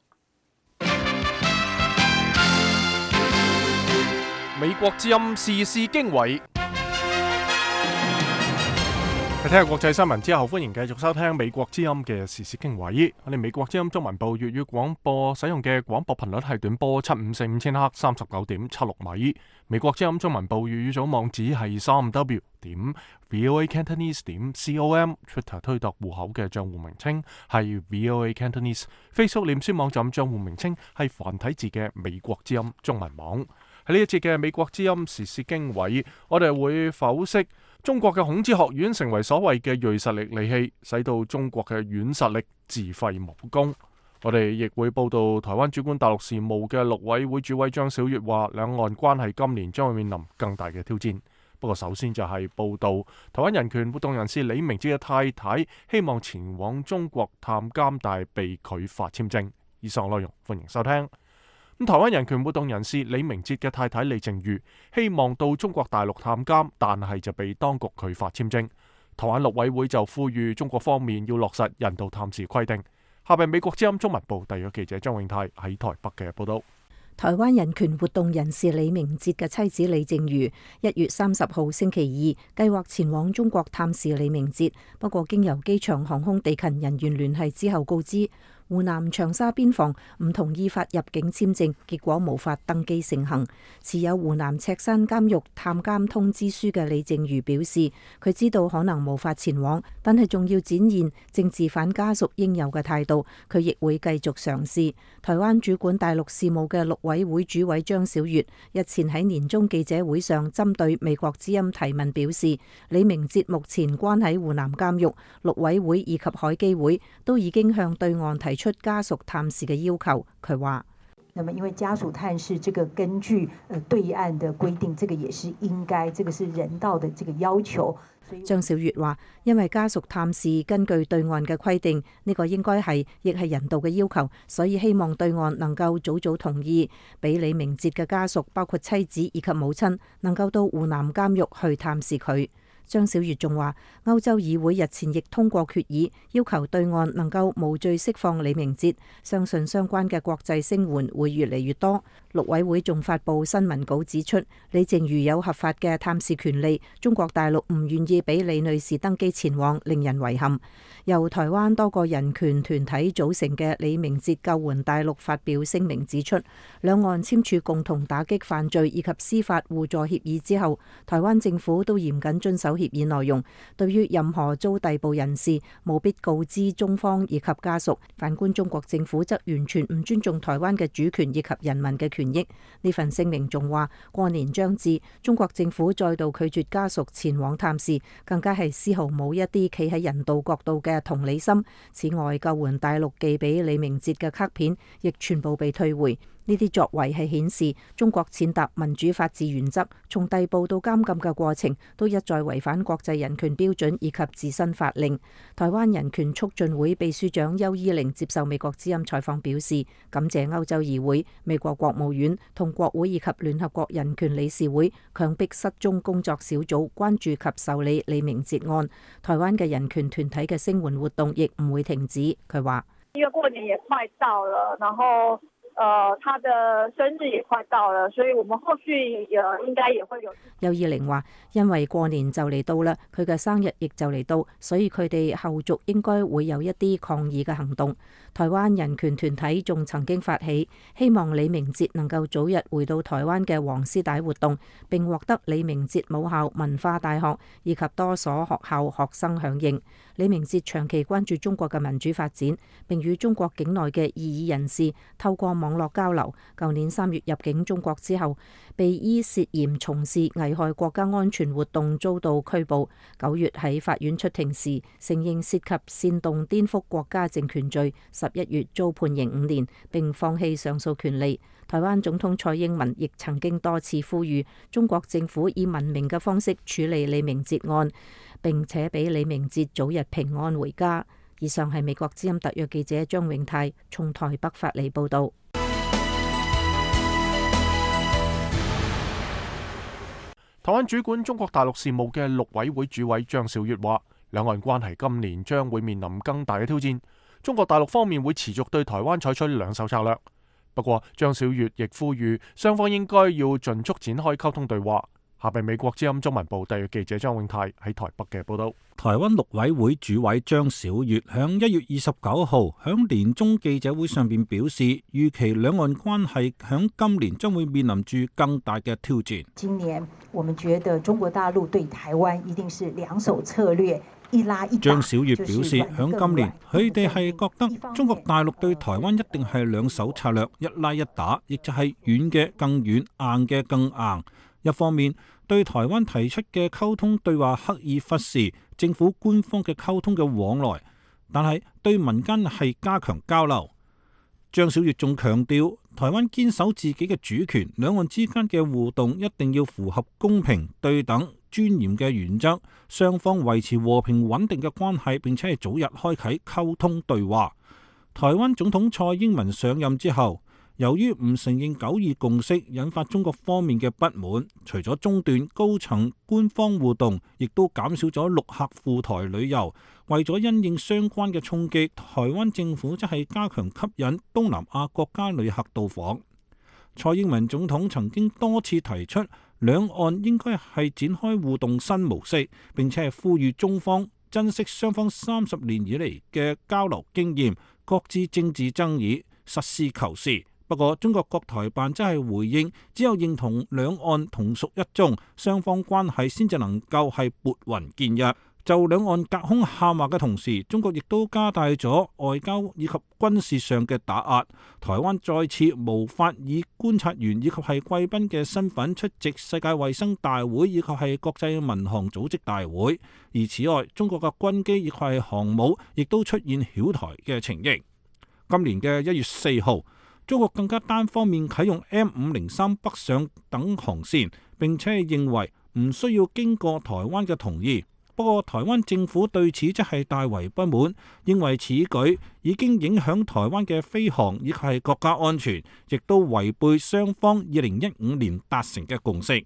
美國之音時事經緯。睇下國際新聞之後，歡迎繼續收聽美國之音嘅時事經緯。我哋美國之音中文部粵語廣播使用嘅廣播頻率係短波七五四五千赫三十九點七六米。美國之音中文部粵語組網址係三 w 點 voa cantonese 點 com。Twitter 推特戶口嘅賬戶名稱係 voa cantonese。Facebook 臉書網站賬戶名稱係繁體字嘅美國之音中文網。喺呢一節嘅美國之音時事經緯，我哋會剖析中國嘅孔子學院成為所謂嘅銳實力利器，使到中國嘅軟實力自廢武功。我哋亦會報道台灣主管大陸事務嘅陸委會主委張曉月話，兩岸關係今年將會面臨更大嘅挑戰。不過首先就係報道台灣人權活動人士李明哲嘅太太希望前往中國探監，但係被拒發簽證。以上內容歡迎收聽。咁台灣人權活動人士李明哲嘅太太李淨瑜希望到中國大陸探監，但係就被當局拒發簽證。台灣陸委會就呼籲中國方面要落實人道探視規定。下邊美國之音中文部特約記者張永泰喺台北嘅報道。
台灣人權活動人士李明哲嘅妻子李淨瑜一月三十號星期二計劃前往中國探視李明哲，不過經由機場航空地勤人員聯繫之後告知，湖南長沙邊防唔同意發入境簽證，結果無法登機成行。持有湖南赤山監獄探監通知書嘅李淨瑜表示，佢知道可能無法前往，但係仲要展現政治犯家屬應有嘅態度，佢亦會繼續嘗試。台灣主管大陸事務嘅陸委會主委張曉月日前喺年終記者會上針對美國之音提問表示，李明哲目前關喺湖南監獄，陸委會以及海基會都已經向對岸提出家屬探視嘅要求。佢話：
那麼因為家屬探視，這個根據呃對岸的規定，這個也是應該，這個是人道的這個要求。
張曉月話：因為家屬探視根據對岸嘅規定，呢個應該係亦係人道嘅要求，所以希望對岸能夠早早同意，俾李明哲嘅家屬，包括妻子以及母親，能夠到湖南監獄去探視佢。張曉月仲話，歐洲議會日前亦通過決議，要求對岸能夠無罪釋放李明哲，相信相關嘅國際聲援會越嚟越多。陸委會仲發布新聞稿指出，李淨瑜有合法嘅探視權利，中國大陸唔願意俾李女士登機前往，令人遺憾。由台灣多個人權團體組成嘅李明哲救援大陸發表聲明指出，兩岸簽署共同打擊犯罪以及司法互助協議之後，台灣政府都嚴謹遵守協議內容，對於任何遭逮捕人士，務必告知中方以及家屬。反觀中國政府則完全唔尊重台灣嘅主權以及人民嘅權益。呢份聲明仲話，過年將至，中國政府再度拒絕家屬前往探視，更加係絲毫冇一啲企喺人道角度嘅同理心。此外，救援大陸寄俾李明哲嘅卡片亦全部被退回。呢啲作為係顯示中國踐踏民主法治原則，從逮捕到監禁嘅過程都一再違反國際人權標準以及自身法令。台灣人權促進會秘書長邱依玲接受美國之音採訪表示，感謝歐洲議會、美國國務院同國會以及聯合國人權理事會強迫失蹤工作小組關注及受理李明哲案。台灣嘅人權團體嘅聲援活動亦唔會停止。佢話：
因為過年也快到了，然後呃，他的生日也快到了，所以我們後續也應該也會有。
邱依玲話：因為過年就嚟到啦，佢嘅生日亦就嚟到，所以佢哋後續應該會有一啲抗議嘅行動。台灣人權團體仲曾經發起希望李明哲能夠早日回到台灣嘅黃絲帶活動，並獲得李明哲母校文化大學以及多所學校學生響應。李明哲長期關注中國嘅民主發展，並與中國境內嘅異議人士透過網絡交流。舊年三月入境中國之後，被依涉嫌從事危害國家安全活動遭到拘捕。九月喺法院出庭時，承認涉及煽動顛覆國家政權罪，十一月遭判刑五年，並放棄上訴權利。台灣總統蔡英文亦曾經多次呼籲中國政府以文明嘅方式處理李明哲案，並且俾李明哲早日平安回家。以上係美國之音特約記者張永泰從台北發嚟報道。
台灣主管中國大陸事務嘅陸委會主委張曉月話，兩岸關係今年將會面臨更大嘅挑戰，中國大陸方面會持續對台灣採取兩手策略。不過，張曉月亦呼籲雙方應該要盡速展開溝通對話。下邊美國之音中文部特約記者張永泰喺台北嘅報道。
台灣陸委會主委張曉月響一月二十九號響年中記者會上邊表示，預期兩岸關係響今年將會面臨住更大嘅挑戰。
今年我們覺得中國大陸對台灣一定是兩手策略。
張曉月表示，響今年佢哋係覺得中國大陸對台灣一定係兩手策略，一拉一打，亦就係軟嘅更軟，硬嘅更硬。一方面對台灣提出嘅溝通對話刻意忽視政府官方嘅溝通嘅往來，但係對民間係加強交流。張曉月仲強調，台灣堅守自己嘅主權，兩岸之間嘅互動一定要符合公平、對等、尊嚴嘅原則，雙方維持和平穩定嘅關係，並且係早日開啟溝通對話。台灣總統蔡英文上任之後，由於唔承認九二共識，引發中國方面嘅不滿，除咗中斷高層官方互動，亦都減少咗陸客赴台旅遊。為咗因應相關嘅衝擊，台灣政府則係加強吸引東南亞國家旅客到訪。蔡英文總統曾經多次提出，兩岸應該係展開互動新模式，並且係呼籲中方珍惜雙方三十年以嚟嘅交流經驗，擱置政治爭議，實事求是。不過，中國國台辦則係回應，只有認同兩岸同屬一中，雙方關係先至能夠係撥雲見日。就兩岸隔空喊話嘅同時，中國亦都加大咗外交以及軍事上嘅打壓。台灣再次無法以觀察員以及係貴賓嘅身份出席世界衛生大會以及係國際民航組織大會。而此外，中國嘅軍機以及係航母亦都出現擾台嘅情形。今年嘅一月四號，中國更加單方面啟用 M 五零三北上等航線，並且係認為唔需要經過台灣嘅同意。不過，台灣政府對此則係大為不滿，認為此舉已經影響台灣嘅飛航以及係國家安全，亦都違背雙方二零一五年達成嘅共識。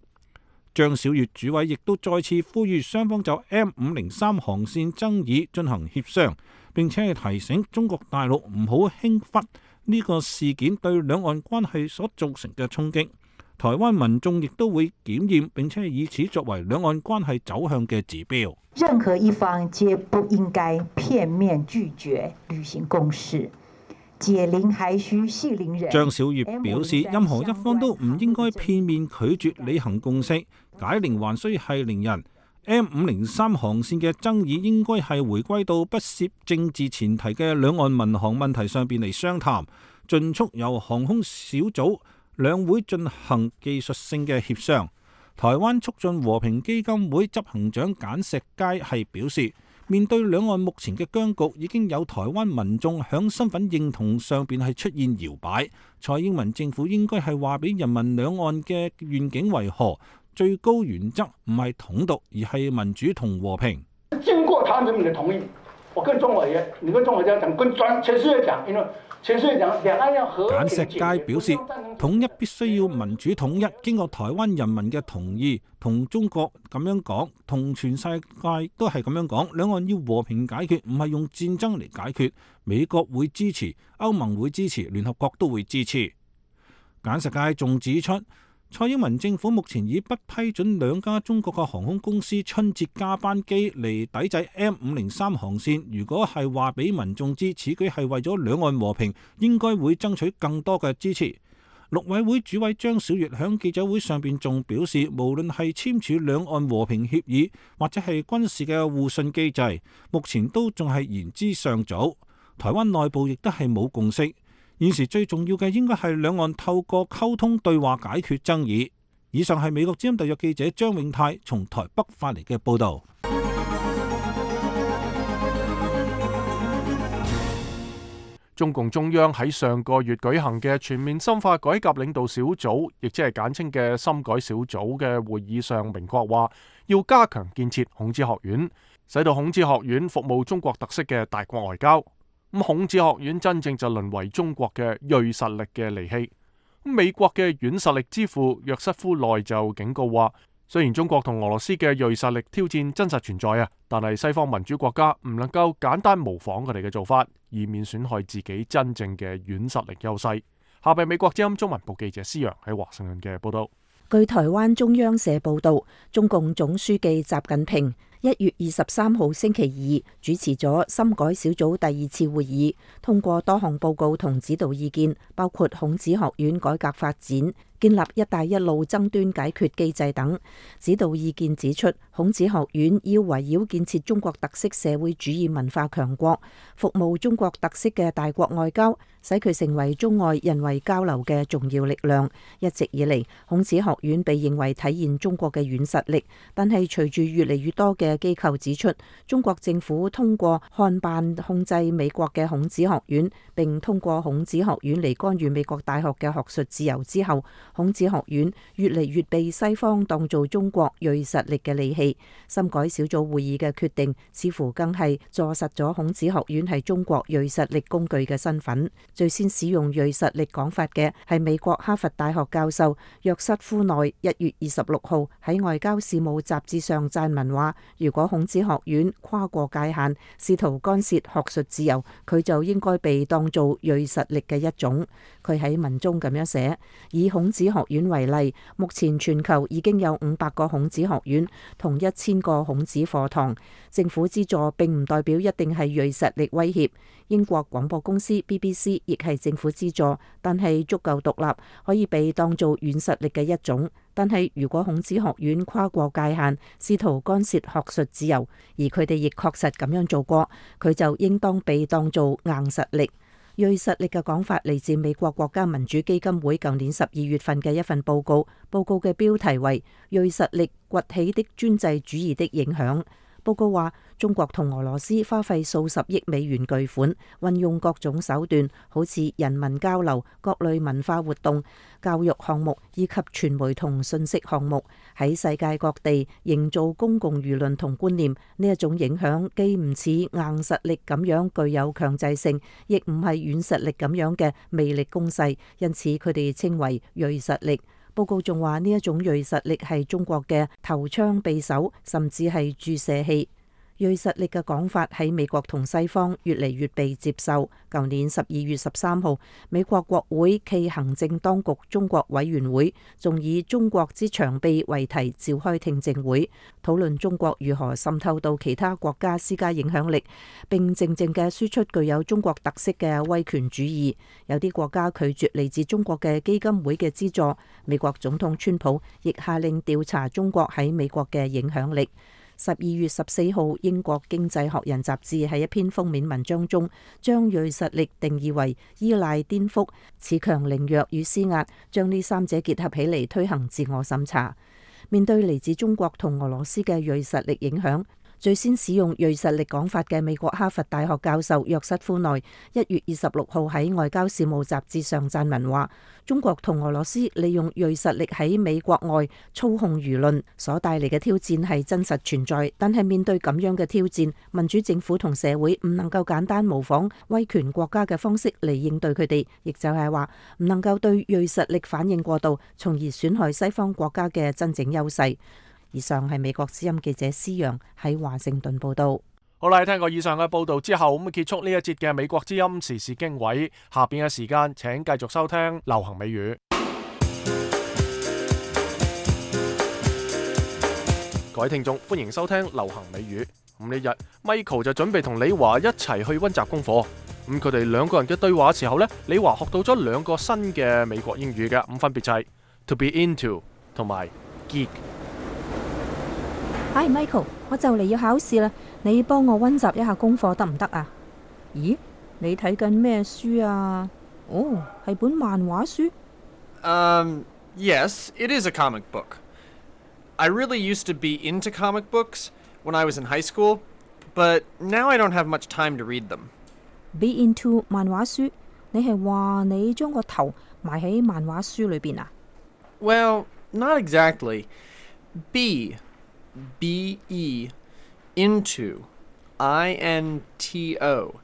張曉月主委亦都再次呼籲雙方就 M 五零三航線爭議進行協商，並且係提醒中國大陸唔好輕忽呢個事件對兩岸關係所造成嘅衝擊。台灣民眾亦都會檢驗，並且以此作為兩岸關係走向嘅指標。
任何一方皆不應該片面拒絕履行共識，解鈴還須繫鈴人。
張曉月表示，任何一方都唔應該片面拒絕履行共識，解鈴還須繫鈴人。M 五零三航線嘅爭議應該係回歸到不涉政治前提嘅兩岸民航問題上邊嚟商談，盡速由航空小組兩會進行技術性嘅協商。台灣促進和平基金會執行長簡石佳係表示，面對兩岸目前嘅僵局，已經有台灣民眾響身份認同上邊係出現搖擺。蔡英文政府應該係話俾人民兩岸嘅願景為何，最高原則唔係統獨，而係民主同和平。
經過台灣人民嘅同意，我跟中國也，你跟中國這樣講，跟全全世界講，因為全世界講兩岸要和平。簡石佳表示，統一必須要民主統一，經過台灣人民嘅同意，同中國咁樣講，同全世界都係咁樣講，兩岸要和平解決，唔係用戰爭嚟解決。美國會支持，歐盟會支持，聯合國都會支持。簡石佳仲指出，蔡英文政府目前已不批准兩家中國嘅航空公司春節加班機嚟抵制 M 五零三航線。如果係話俾民眾知，此舉係為咗兩岸和平，應該會爭取更多嘅支持。
陸委會主委張小月響記者會上邊仲表示，無論係簽署兩岸和平協議或者係軍事嘅互信機制，目前都仲係言之尚早。台灣內部亦都係冇共識，現時最重要嘅應該係兩岸透過溝通對話解決爭議。以上係美國之音特約記者張永泰從台北發嚟嘅報導。
中共中央喺上個月舉行嘅全面深化改革領導小組，亦即係簡稱嘅深改小組嘅會議上，明確話要加強建設孔子學院，使到孔子學院服務中國特色嘅大國外交。咁孔子學院真正就淪為中國嘅銳實力嘅利器。美國嘅軟實力之父約瑟夫內就警告話，雖然中國同俄羅斯嘅銳實力挑戰真實存在啊，但係西方民主國家唔能夠簡單模仿佢哋嘅做法，以免損害自己真正嘅軟實力優勢。下邊美國之音中文部記者施洋喺華盛頓嘅報道。
據台灣中央社報道，中共總書記習近平一月二十三號星期二主持咗深改小組第二次會議，通過多項報告同指導意見，包括孔子學院改革發展、建立一帶一路爭端解決機制等。指導意見指出，孔子學院要圍繞建設中國特色社會主義文化強國，服務中國特色嘅大國外交，使佢成為中外人為交流嘅重要力量。一直以嚟，孔子學院被認為體現中國嘅軟實力，但係隨住越嚟越多嘅機構指出，中國政府通過看辦控制美國嘅孔子學院，並通過孔子學院嚟干預美國大學嘅學術自由之後，孔子學院越嚟越被西方當做中國銳實力嘅利器。深改小組會議嘅決定，似乎更係坐實咗孔子學院係中國銳實力工具嘅身份。最先使用銳實力講法嘅係美國哈佛大學教授約瑟夫內，一月二十六號喺外交事務雜誌上撰文話，如果孔子學院跨過界限，試圖干涉學術自由，佢就應該被當做銳實力嘅一種。佢喺文中咁樣寫，以孔子學院為例，目前全球已經有五百個孔子學院同一千個孔子課堂，政府資助並唔代表一定係銳實力威脅。英國廣播公司 B B C 亦係政府資助，但係足夠獨立，可以被當做軟實力嘅一種。但係如果孔子學院跨過界限，試圖干涉學術自由，而佢哋亦確實咁樣做過，佢就應當被當做硬實力。銳實力嘅講法嚟自美國國家民主基金會舊年十二月份嘅一份報告，報告嘅標題為《銳實力崛起的專制主義的影響》。報告話，中國同俄羅斯花費數十億美元巨款，運用各種手段，好似人民交流、各類文化活動、教育項目以及傳媒同信息項目，喺世界各地營造公共輿論同觀念。呢一種影響既唔似硬實力咁樣具有強制性，亦唔係軟實力咁樣嘅魅力攻勢，因此佢哋稱為銳實力。報告仲話呢一種銳實力係中國嘅投槍匕首，甚至係注射器。銳實力嘅講法喺美國同西方越嚟越被接受。舊年十二月十三號，美國國會暨行政當局中國委員會仲以中國之長臂為題召開聽證會，討論中國如何滲透到其他國家施加影響力，並靜靜嘅輸出具有中國特色嘅威權主義。有啲國家拒絕嚟自中國嘅基金會嘅資助。美國總統川普亦下令調查中國喺美國嘅影響力。十二月十四號，英國經濟學人雜誌喺一篇封面文章中，將銳實力定義為依賴、顛覆、恃強凌弱與施壓，將呢三者結合起嚟推行自我審查。面對嚟自中國同俄羅斯嘅銳實力影響，最先使用銳實力講法嘅美國哈佛大學教授約瑟夫內，一月二十六號喺外交事務雜誌上撰文話，中國同俄羅斯利用銳實力喺美國外操控輿論所帶嚟嘅挑戰係真實存在，但係面對咁樣嘅挑戰，民主政府同社會唔能夠簡單模仿威權國家嘅方式嚟應對佢哋，亦就係話唔能夠對銳實力反應過度，從而損害西方國家嘅真正優勢。以上係美國之音記者施洋喺華盛頓報道。
好啦，聽過以上嘅報道之後，咁結束呢一節嘅美國之音時事經緯。下邊嘅時間，請繼續收聽流行美語。各位聽眾，歡迎收聽流行美語。咁呢日 Michael 就準備同李華一齊去溫習功課。咁佢哋兩個人嘅對話嘅時候呢，李華學到咗兩個新嘅美國英語嘅，咁分別就係 to be into 同埋 geek。Hi
Michael，我就嚟要考試啦，你幫我溫習一下功課得唔得啊？咦，你睇緊咩書啊？哦，係本漫畫書。
Um, yes, it is a comic book. I really used to be into comic books when I was in high school, but now I don't have much time to read them.
Be into 漫畫書，你係話你將個頭埋喺漫畫書裏邊啊？
Well, not exactly. Be, B E, into, I N T O.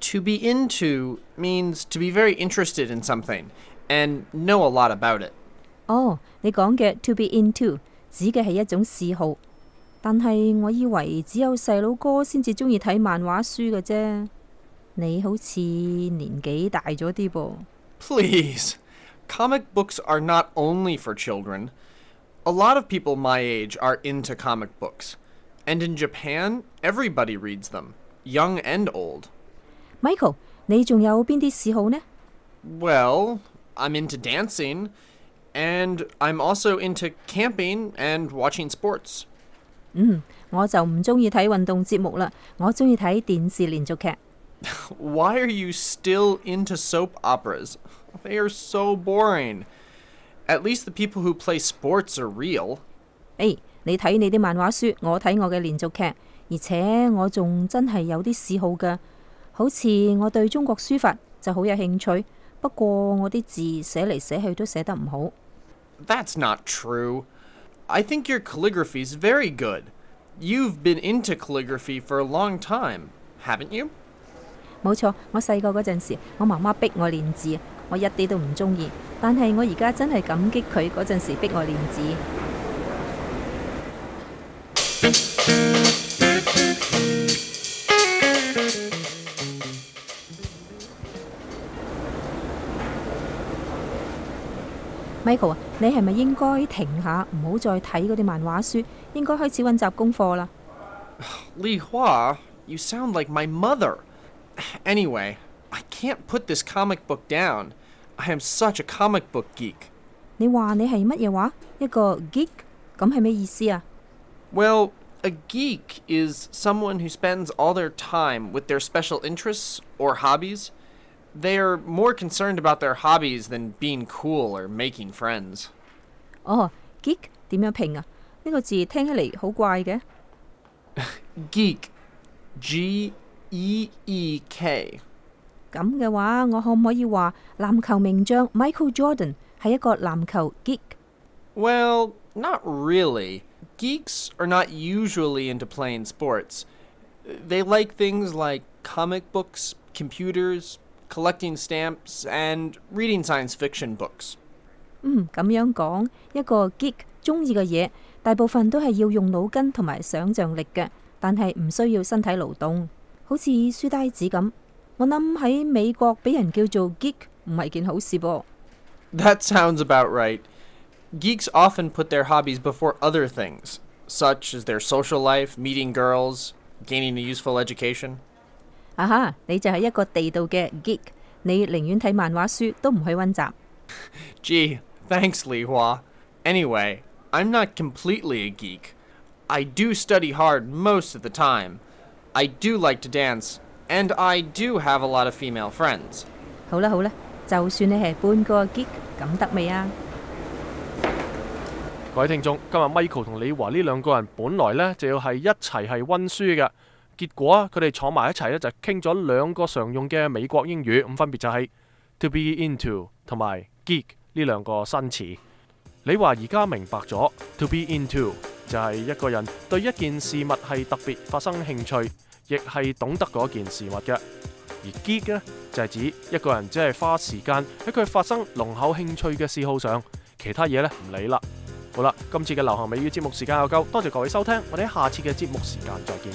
To be into means to be very interested in something and know a lot about it.
哦，你講嘅 to be into 指嘅係一種嗜好，但係我以為只有細佬哥先至中意睇漫畫書嘅啫。你好似年紀大咗啲噃。
Please, comic books are not only for children. A lot of people my age are into comic books. And in Japan, everybody reads them, young and old.
Michael， 你仲有邊啲嗜好呢？
Well, I'm into dancing, and I'm also into camping and watching sports.
嗯，我就唔中意睇運動節目啦，我中意睇電視連續劇。
Why are you still into soap operas? They are so boring. At least the people who play sports are real.
誒，你睇你啲漫畫書，我睇我嘅連續劇，而且我仲真係有啲嗜好㗎。好似我對中國書法就好有興趣，不過我啲字寫嚟寫去都寫得唔好。
That's not true. I think your calligraphy is very good. You've been into calligraphy for a long time, haven't you?
冇錯，我細個嗰陣時，我媽媽逼我練字，我一啲都唔中意。但係我而家真係感激佢嗰陣時逼我練字。Michael 啊，你係咪應該停下，唔好再睇嗰啲漫畫書，應該開始溫習功課啦？
Li Hua, you sound like my mother. Anyway, I can't put this comic book down. I am such a comic book geek.
你話你係乜嘢話？一個 geek？ 咁係咩意思啊？
Well, a geek is someone who spends all their time with their special interests or hobbies. They are more concerned about their hobbies than being cool or making friends.
哦 ，geek 點樣拼啊？呢個字聽起嚟好怪嘅。
Geek, G E E K。
咁嘅話，我可唔可以話籃球名將 Michael Jordan 係一個籃球 geek？
Well, not really. Geeks are not usually into playing sports. They like things like comic books, computers, collecting stamps, and reading science fiction books.
嗯，咁樣講，一個 geek 中意嘅嘢，大部分都係要用腦筋同埋想像力嘅，但係唔需要身體勞動，好似書呆子咁。我諗喺美國俾人叫做 geek 唔係件好事噃。
That sounds about right. Geeks often put their hobbies before other things, such as their social life, meeting girls, gaining a useful education.
啊哈，你就係一個地道嘅 geek， 你寧願睇漫畫書都唔去溫習。
Gee, thanks, Li Hua. Anyway, I'm not completely a geek. I do study hard most of the time. I do like to dance, and I do have a lot of female friends.
好啦好啦，就算你係半個 geek， 咁得未啊？
各位聽眾，今日 Michael 同李華呢兩個人本來呢就要係一齊係溫書嘅，結果啊佢哋坐埋一齊呢就傾咗兩個常用嘅美國英語，咁分別就係 to be into 同埋 geek 呢兩個新詞。李華而家明白咗 to be into 就係一個人對一件事物係特別發生興趣，亦係懂得嗰件事物嘅。而 geek 呢就係指一個人只係花時間喺佢發生濃厚興趣嘅嗜好上，其他嘢呢唔理啦。好啦，今次嘅流行美語節目時間又夠，多謝各位收聽，我哋喺下次嘅節目時間再見。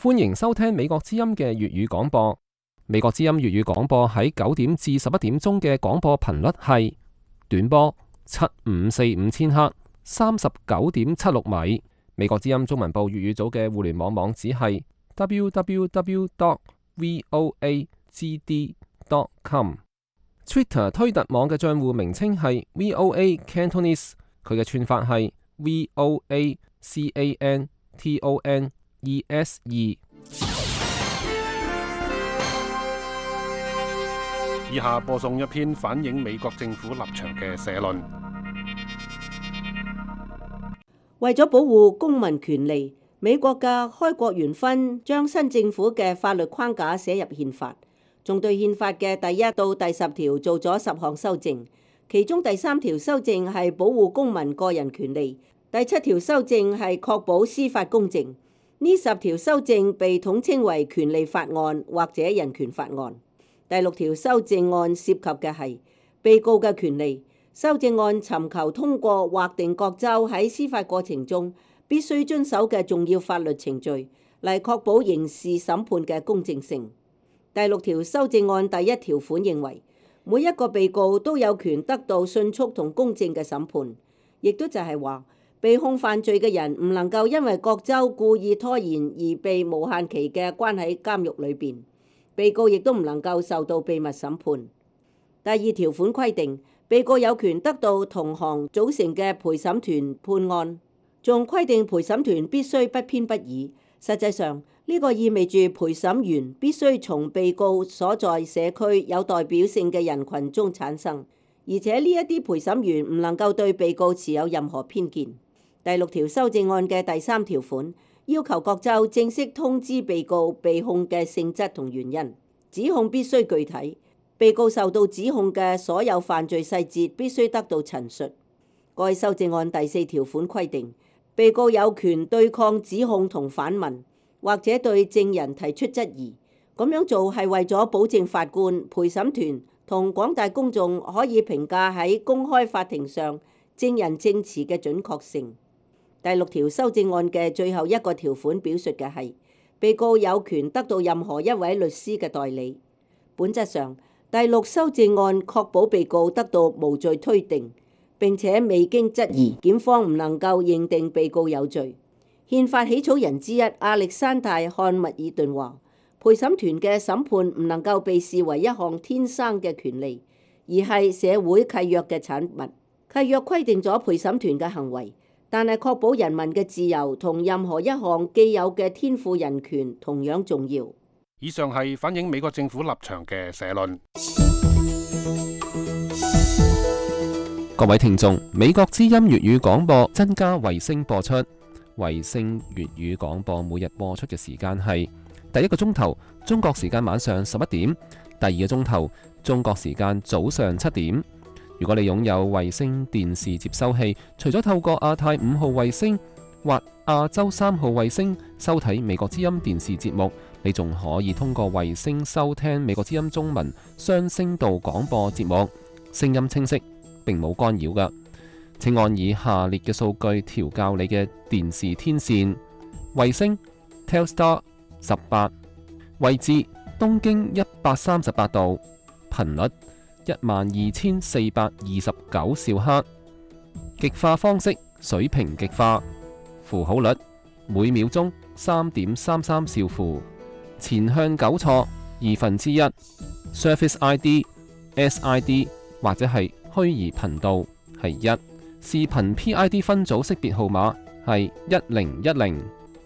歡迎收聽美國之音嘅粵語廣播。美國之音粵語廣播喺九點至十一點鐘嘅廣播頻率係短波七五四五千赫，三十九點七六米。美國之音中文部粵語組嘅互聯網網址係 double-u double-u double-u dot voa g d dot com。Twitter 推特網嘅賬戶名稱係 V O A Cantonese， 佢嘅串法係 V O A C A N T O N E S E。
以下播送一篇反映美國政府立場嘅社論。
為咗保護公民權利，美國嘅開國元勳將新政府嘅法律框架寫入憲法，仲對憲法嘅第一到第十條做咗十項修正，其中第三條修正係保護公民個人權利，第七條修正係確保司法公正。呢十條修正被統稱為權利法案或者人權法案。第六條修正案涉及嘅係被告嘅權利。修正案尋求通過劃定各州喺司法過程中必須遵守嘅重要法律程序，嚟確保刑事審判嘅公正性。第六條修正案第一條款認為，每一個被告都有權得到迅速同公正嘅審判，亦都就係話，被控犯罪嘅人唔能夠因為各州故意拖延而被無限期嘅關喺監獄裏邊，被告亦都唔能夠受到秘密審判。第二條款規定，被告有權得到同行組成嘅陪審團判案，仲規定陪審團必須不偏不倚。實際上，呢個意味住陪審員必須從被告所在社區有代表性嘅人群中產生，而且呢一啲陪審員唔能夠對被告持有任何偏見。第六條修正案嘅第三條款要求各州正式通知被告被控嘅性質同原因，指控必須具體。被告受到指控嘅所有犯罪細節必須得到陳述。該修正案第四條款規定，被告有權對抗指控同反問，或者對證人提出質疑。咁樣做係為咗保證法官、陪審團同廣大公眾可以評價喺公開法庭上證人證詞嘅準確性。第六條修正案嘅最後一個條款表述嘅係，被告有權得到任何一位律師嘅代理。本質上，第六修正案確保被告得到無罪推定，並且未經質疑，檢方唔能夠認定被告有罪。憲法起草人之一亞歷山大·漢密爾頓話，陪審團嘅審判唔能夠被視為一項天生嘅權利，而係社會契約嘅產物。契約規定咗陪審團嘅行為，但係確保人民嘅自由同任何一項既有嘅天賦人權同樣重要。
以上係反映美國政府立場嘅社論。
各位聽眾，美國之音粵語廣播增加衛星播出，衛星粵語廣播每日播出嘅時間係第一個鐘頭中國時間晚上十一點，第二個鐘頭中國時間早上七點。如果你擁有衛星電視接收器，除咗透過亞太五號衛星或亞洲三號衛星收睇美國之音電視節目，你仲可以通過衛星收聽美國之音中文雙聲道廣播節目，聲音清晰，並冇干擾㗎。請按以下列嘅數據調校你嘅電視天線：衛星 Telstar 十八，位置東經一百三十八度，頻率一萬二千四百二十九兆赫，極化方式水平極化，符號率每秒鐘三點三三兆符，前向糾錯二分之一 ，Surface I D、S I D 或者係虛擬頻道係一，視頻 P I D 分組識別號碼係一零一零，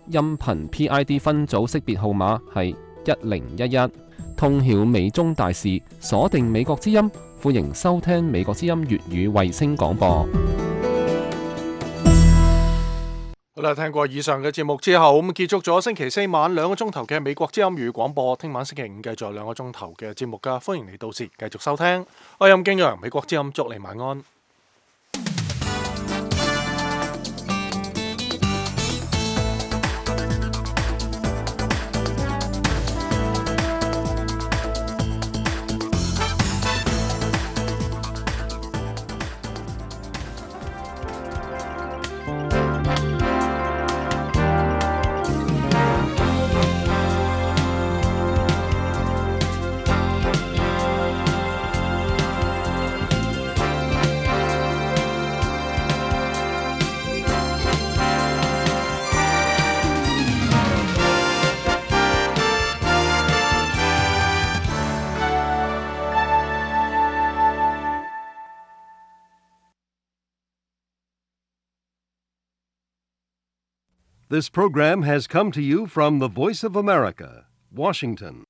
音頻 P I D 分組識別號碼係一零一一。通曉美中大事，鎖定美國之音，歡迎收聽美國之音粵語衛星廣播。
好啦，聽過以上嘅節目之後，咁結束咗星期四晚兩個鐘頭嘅美國之音粵語廣播。聽晚星期五繼續兩個鐘頭嘅節目噶，歡迎你到時繼續收聽。我係任敬陽，美國之音，祝你晚安。
This program has come to you from the Voice of America, Washington.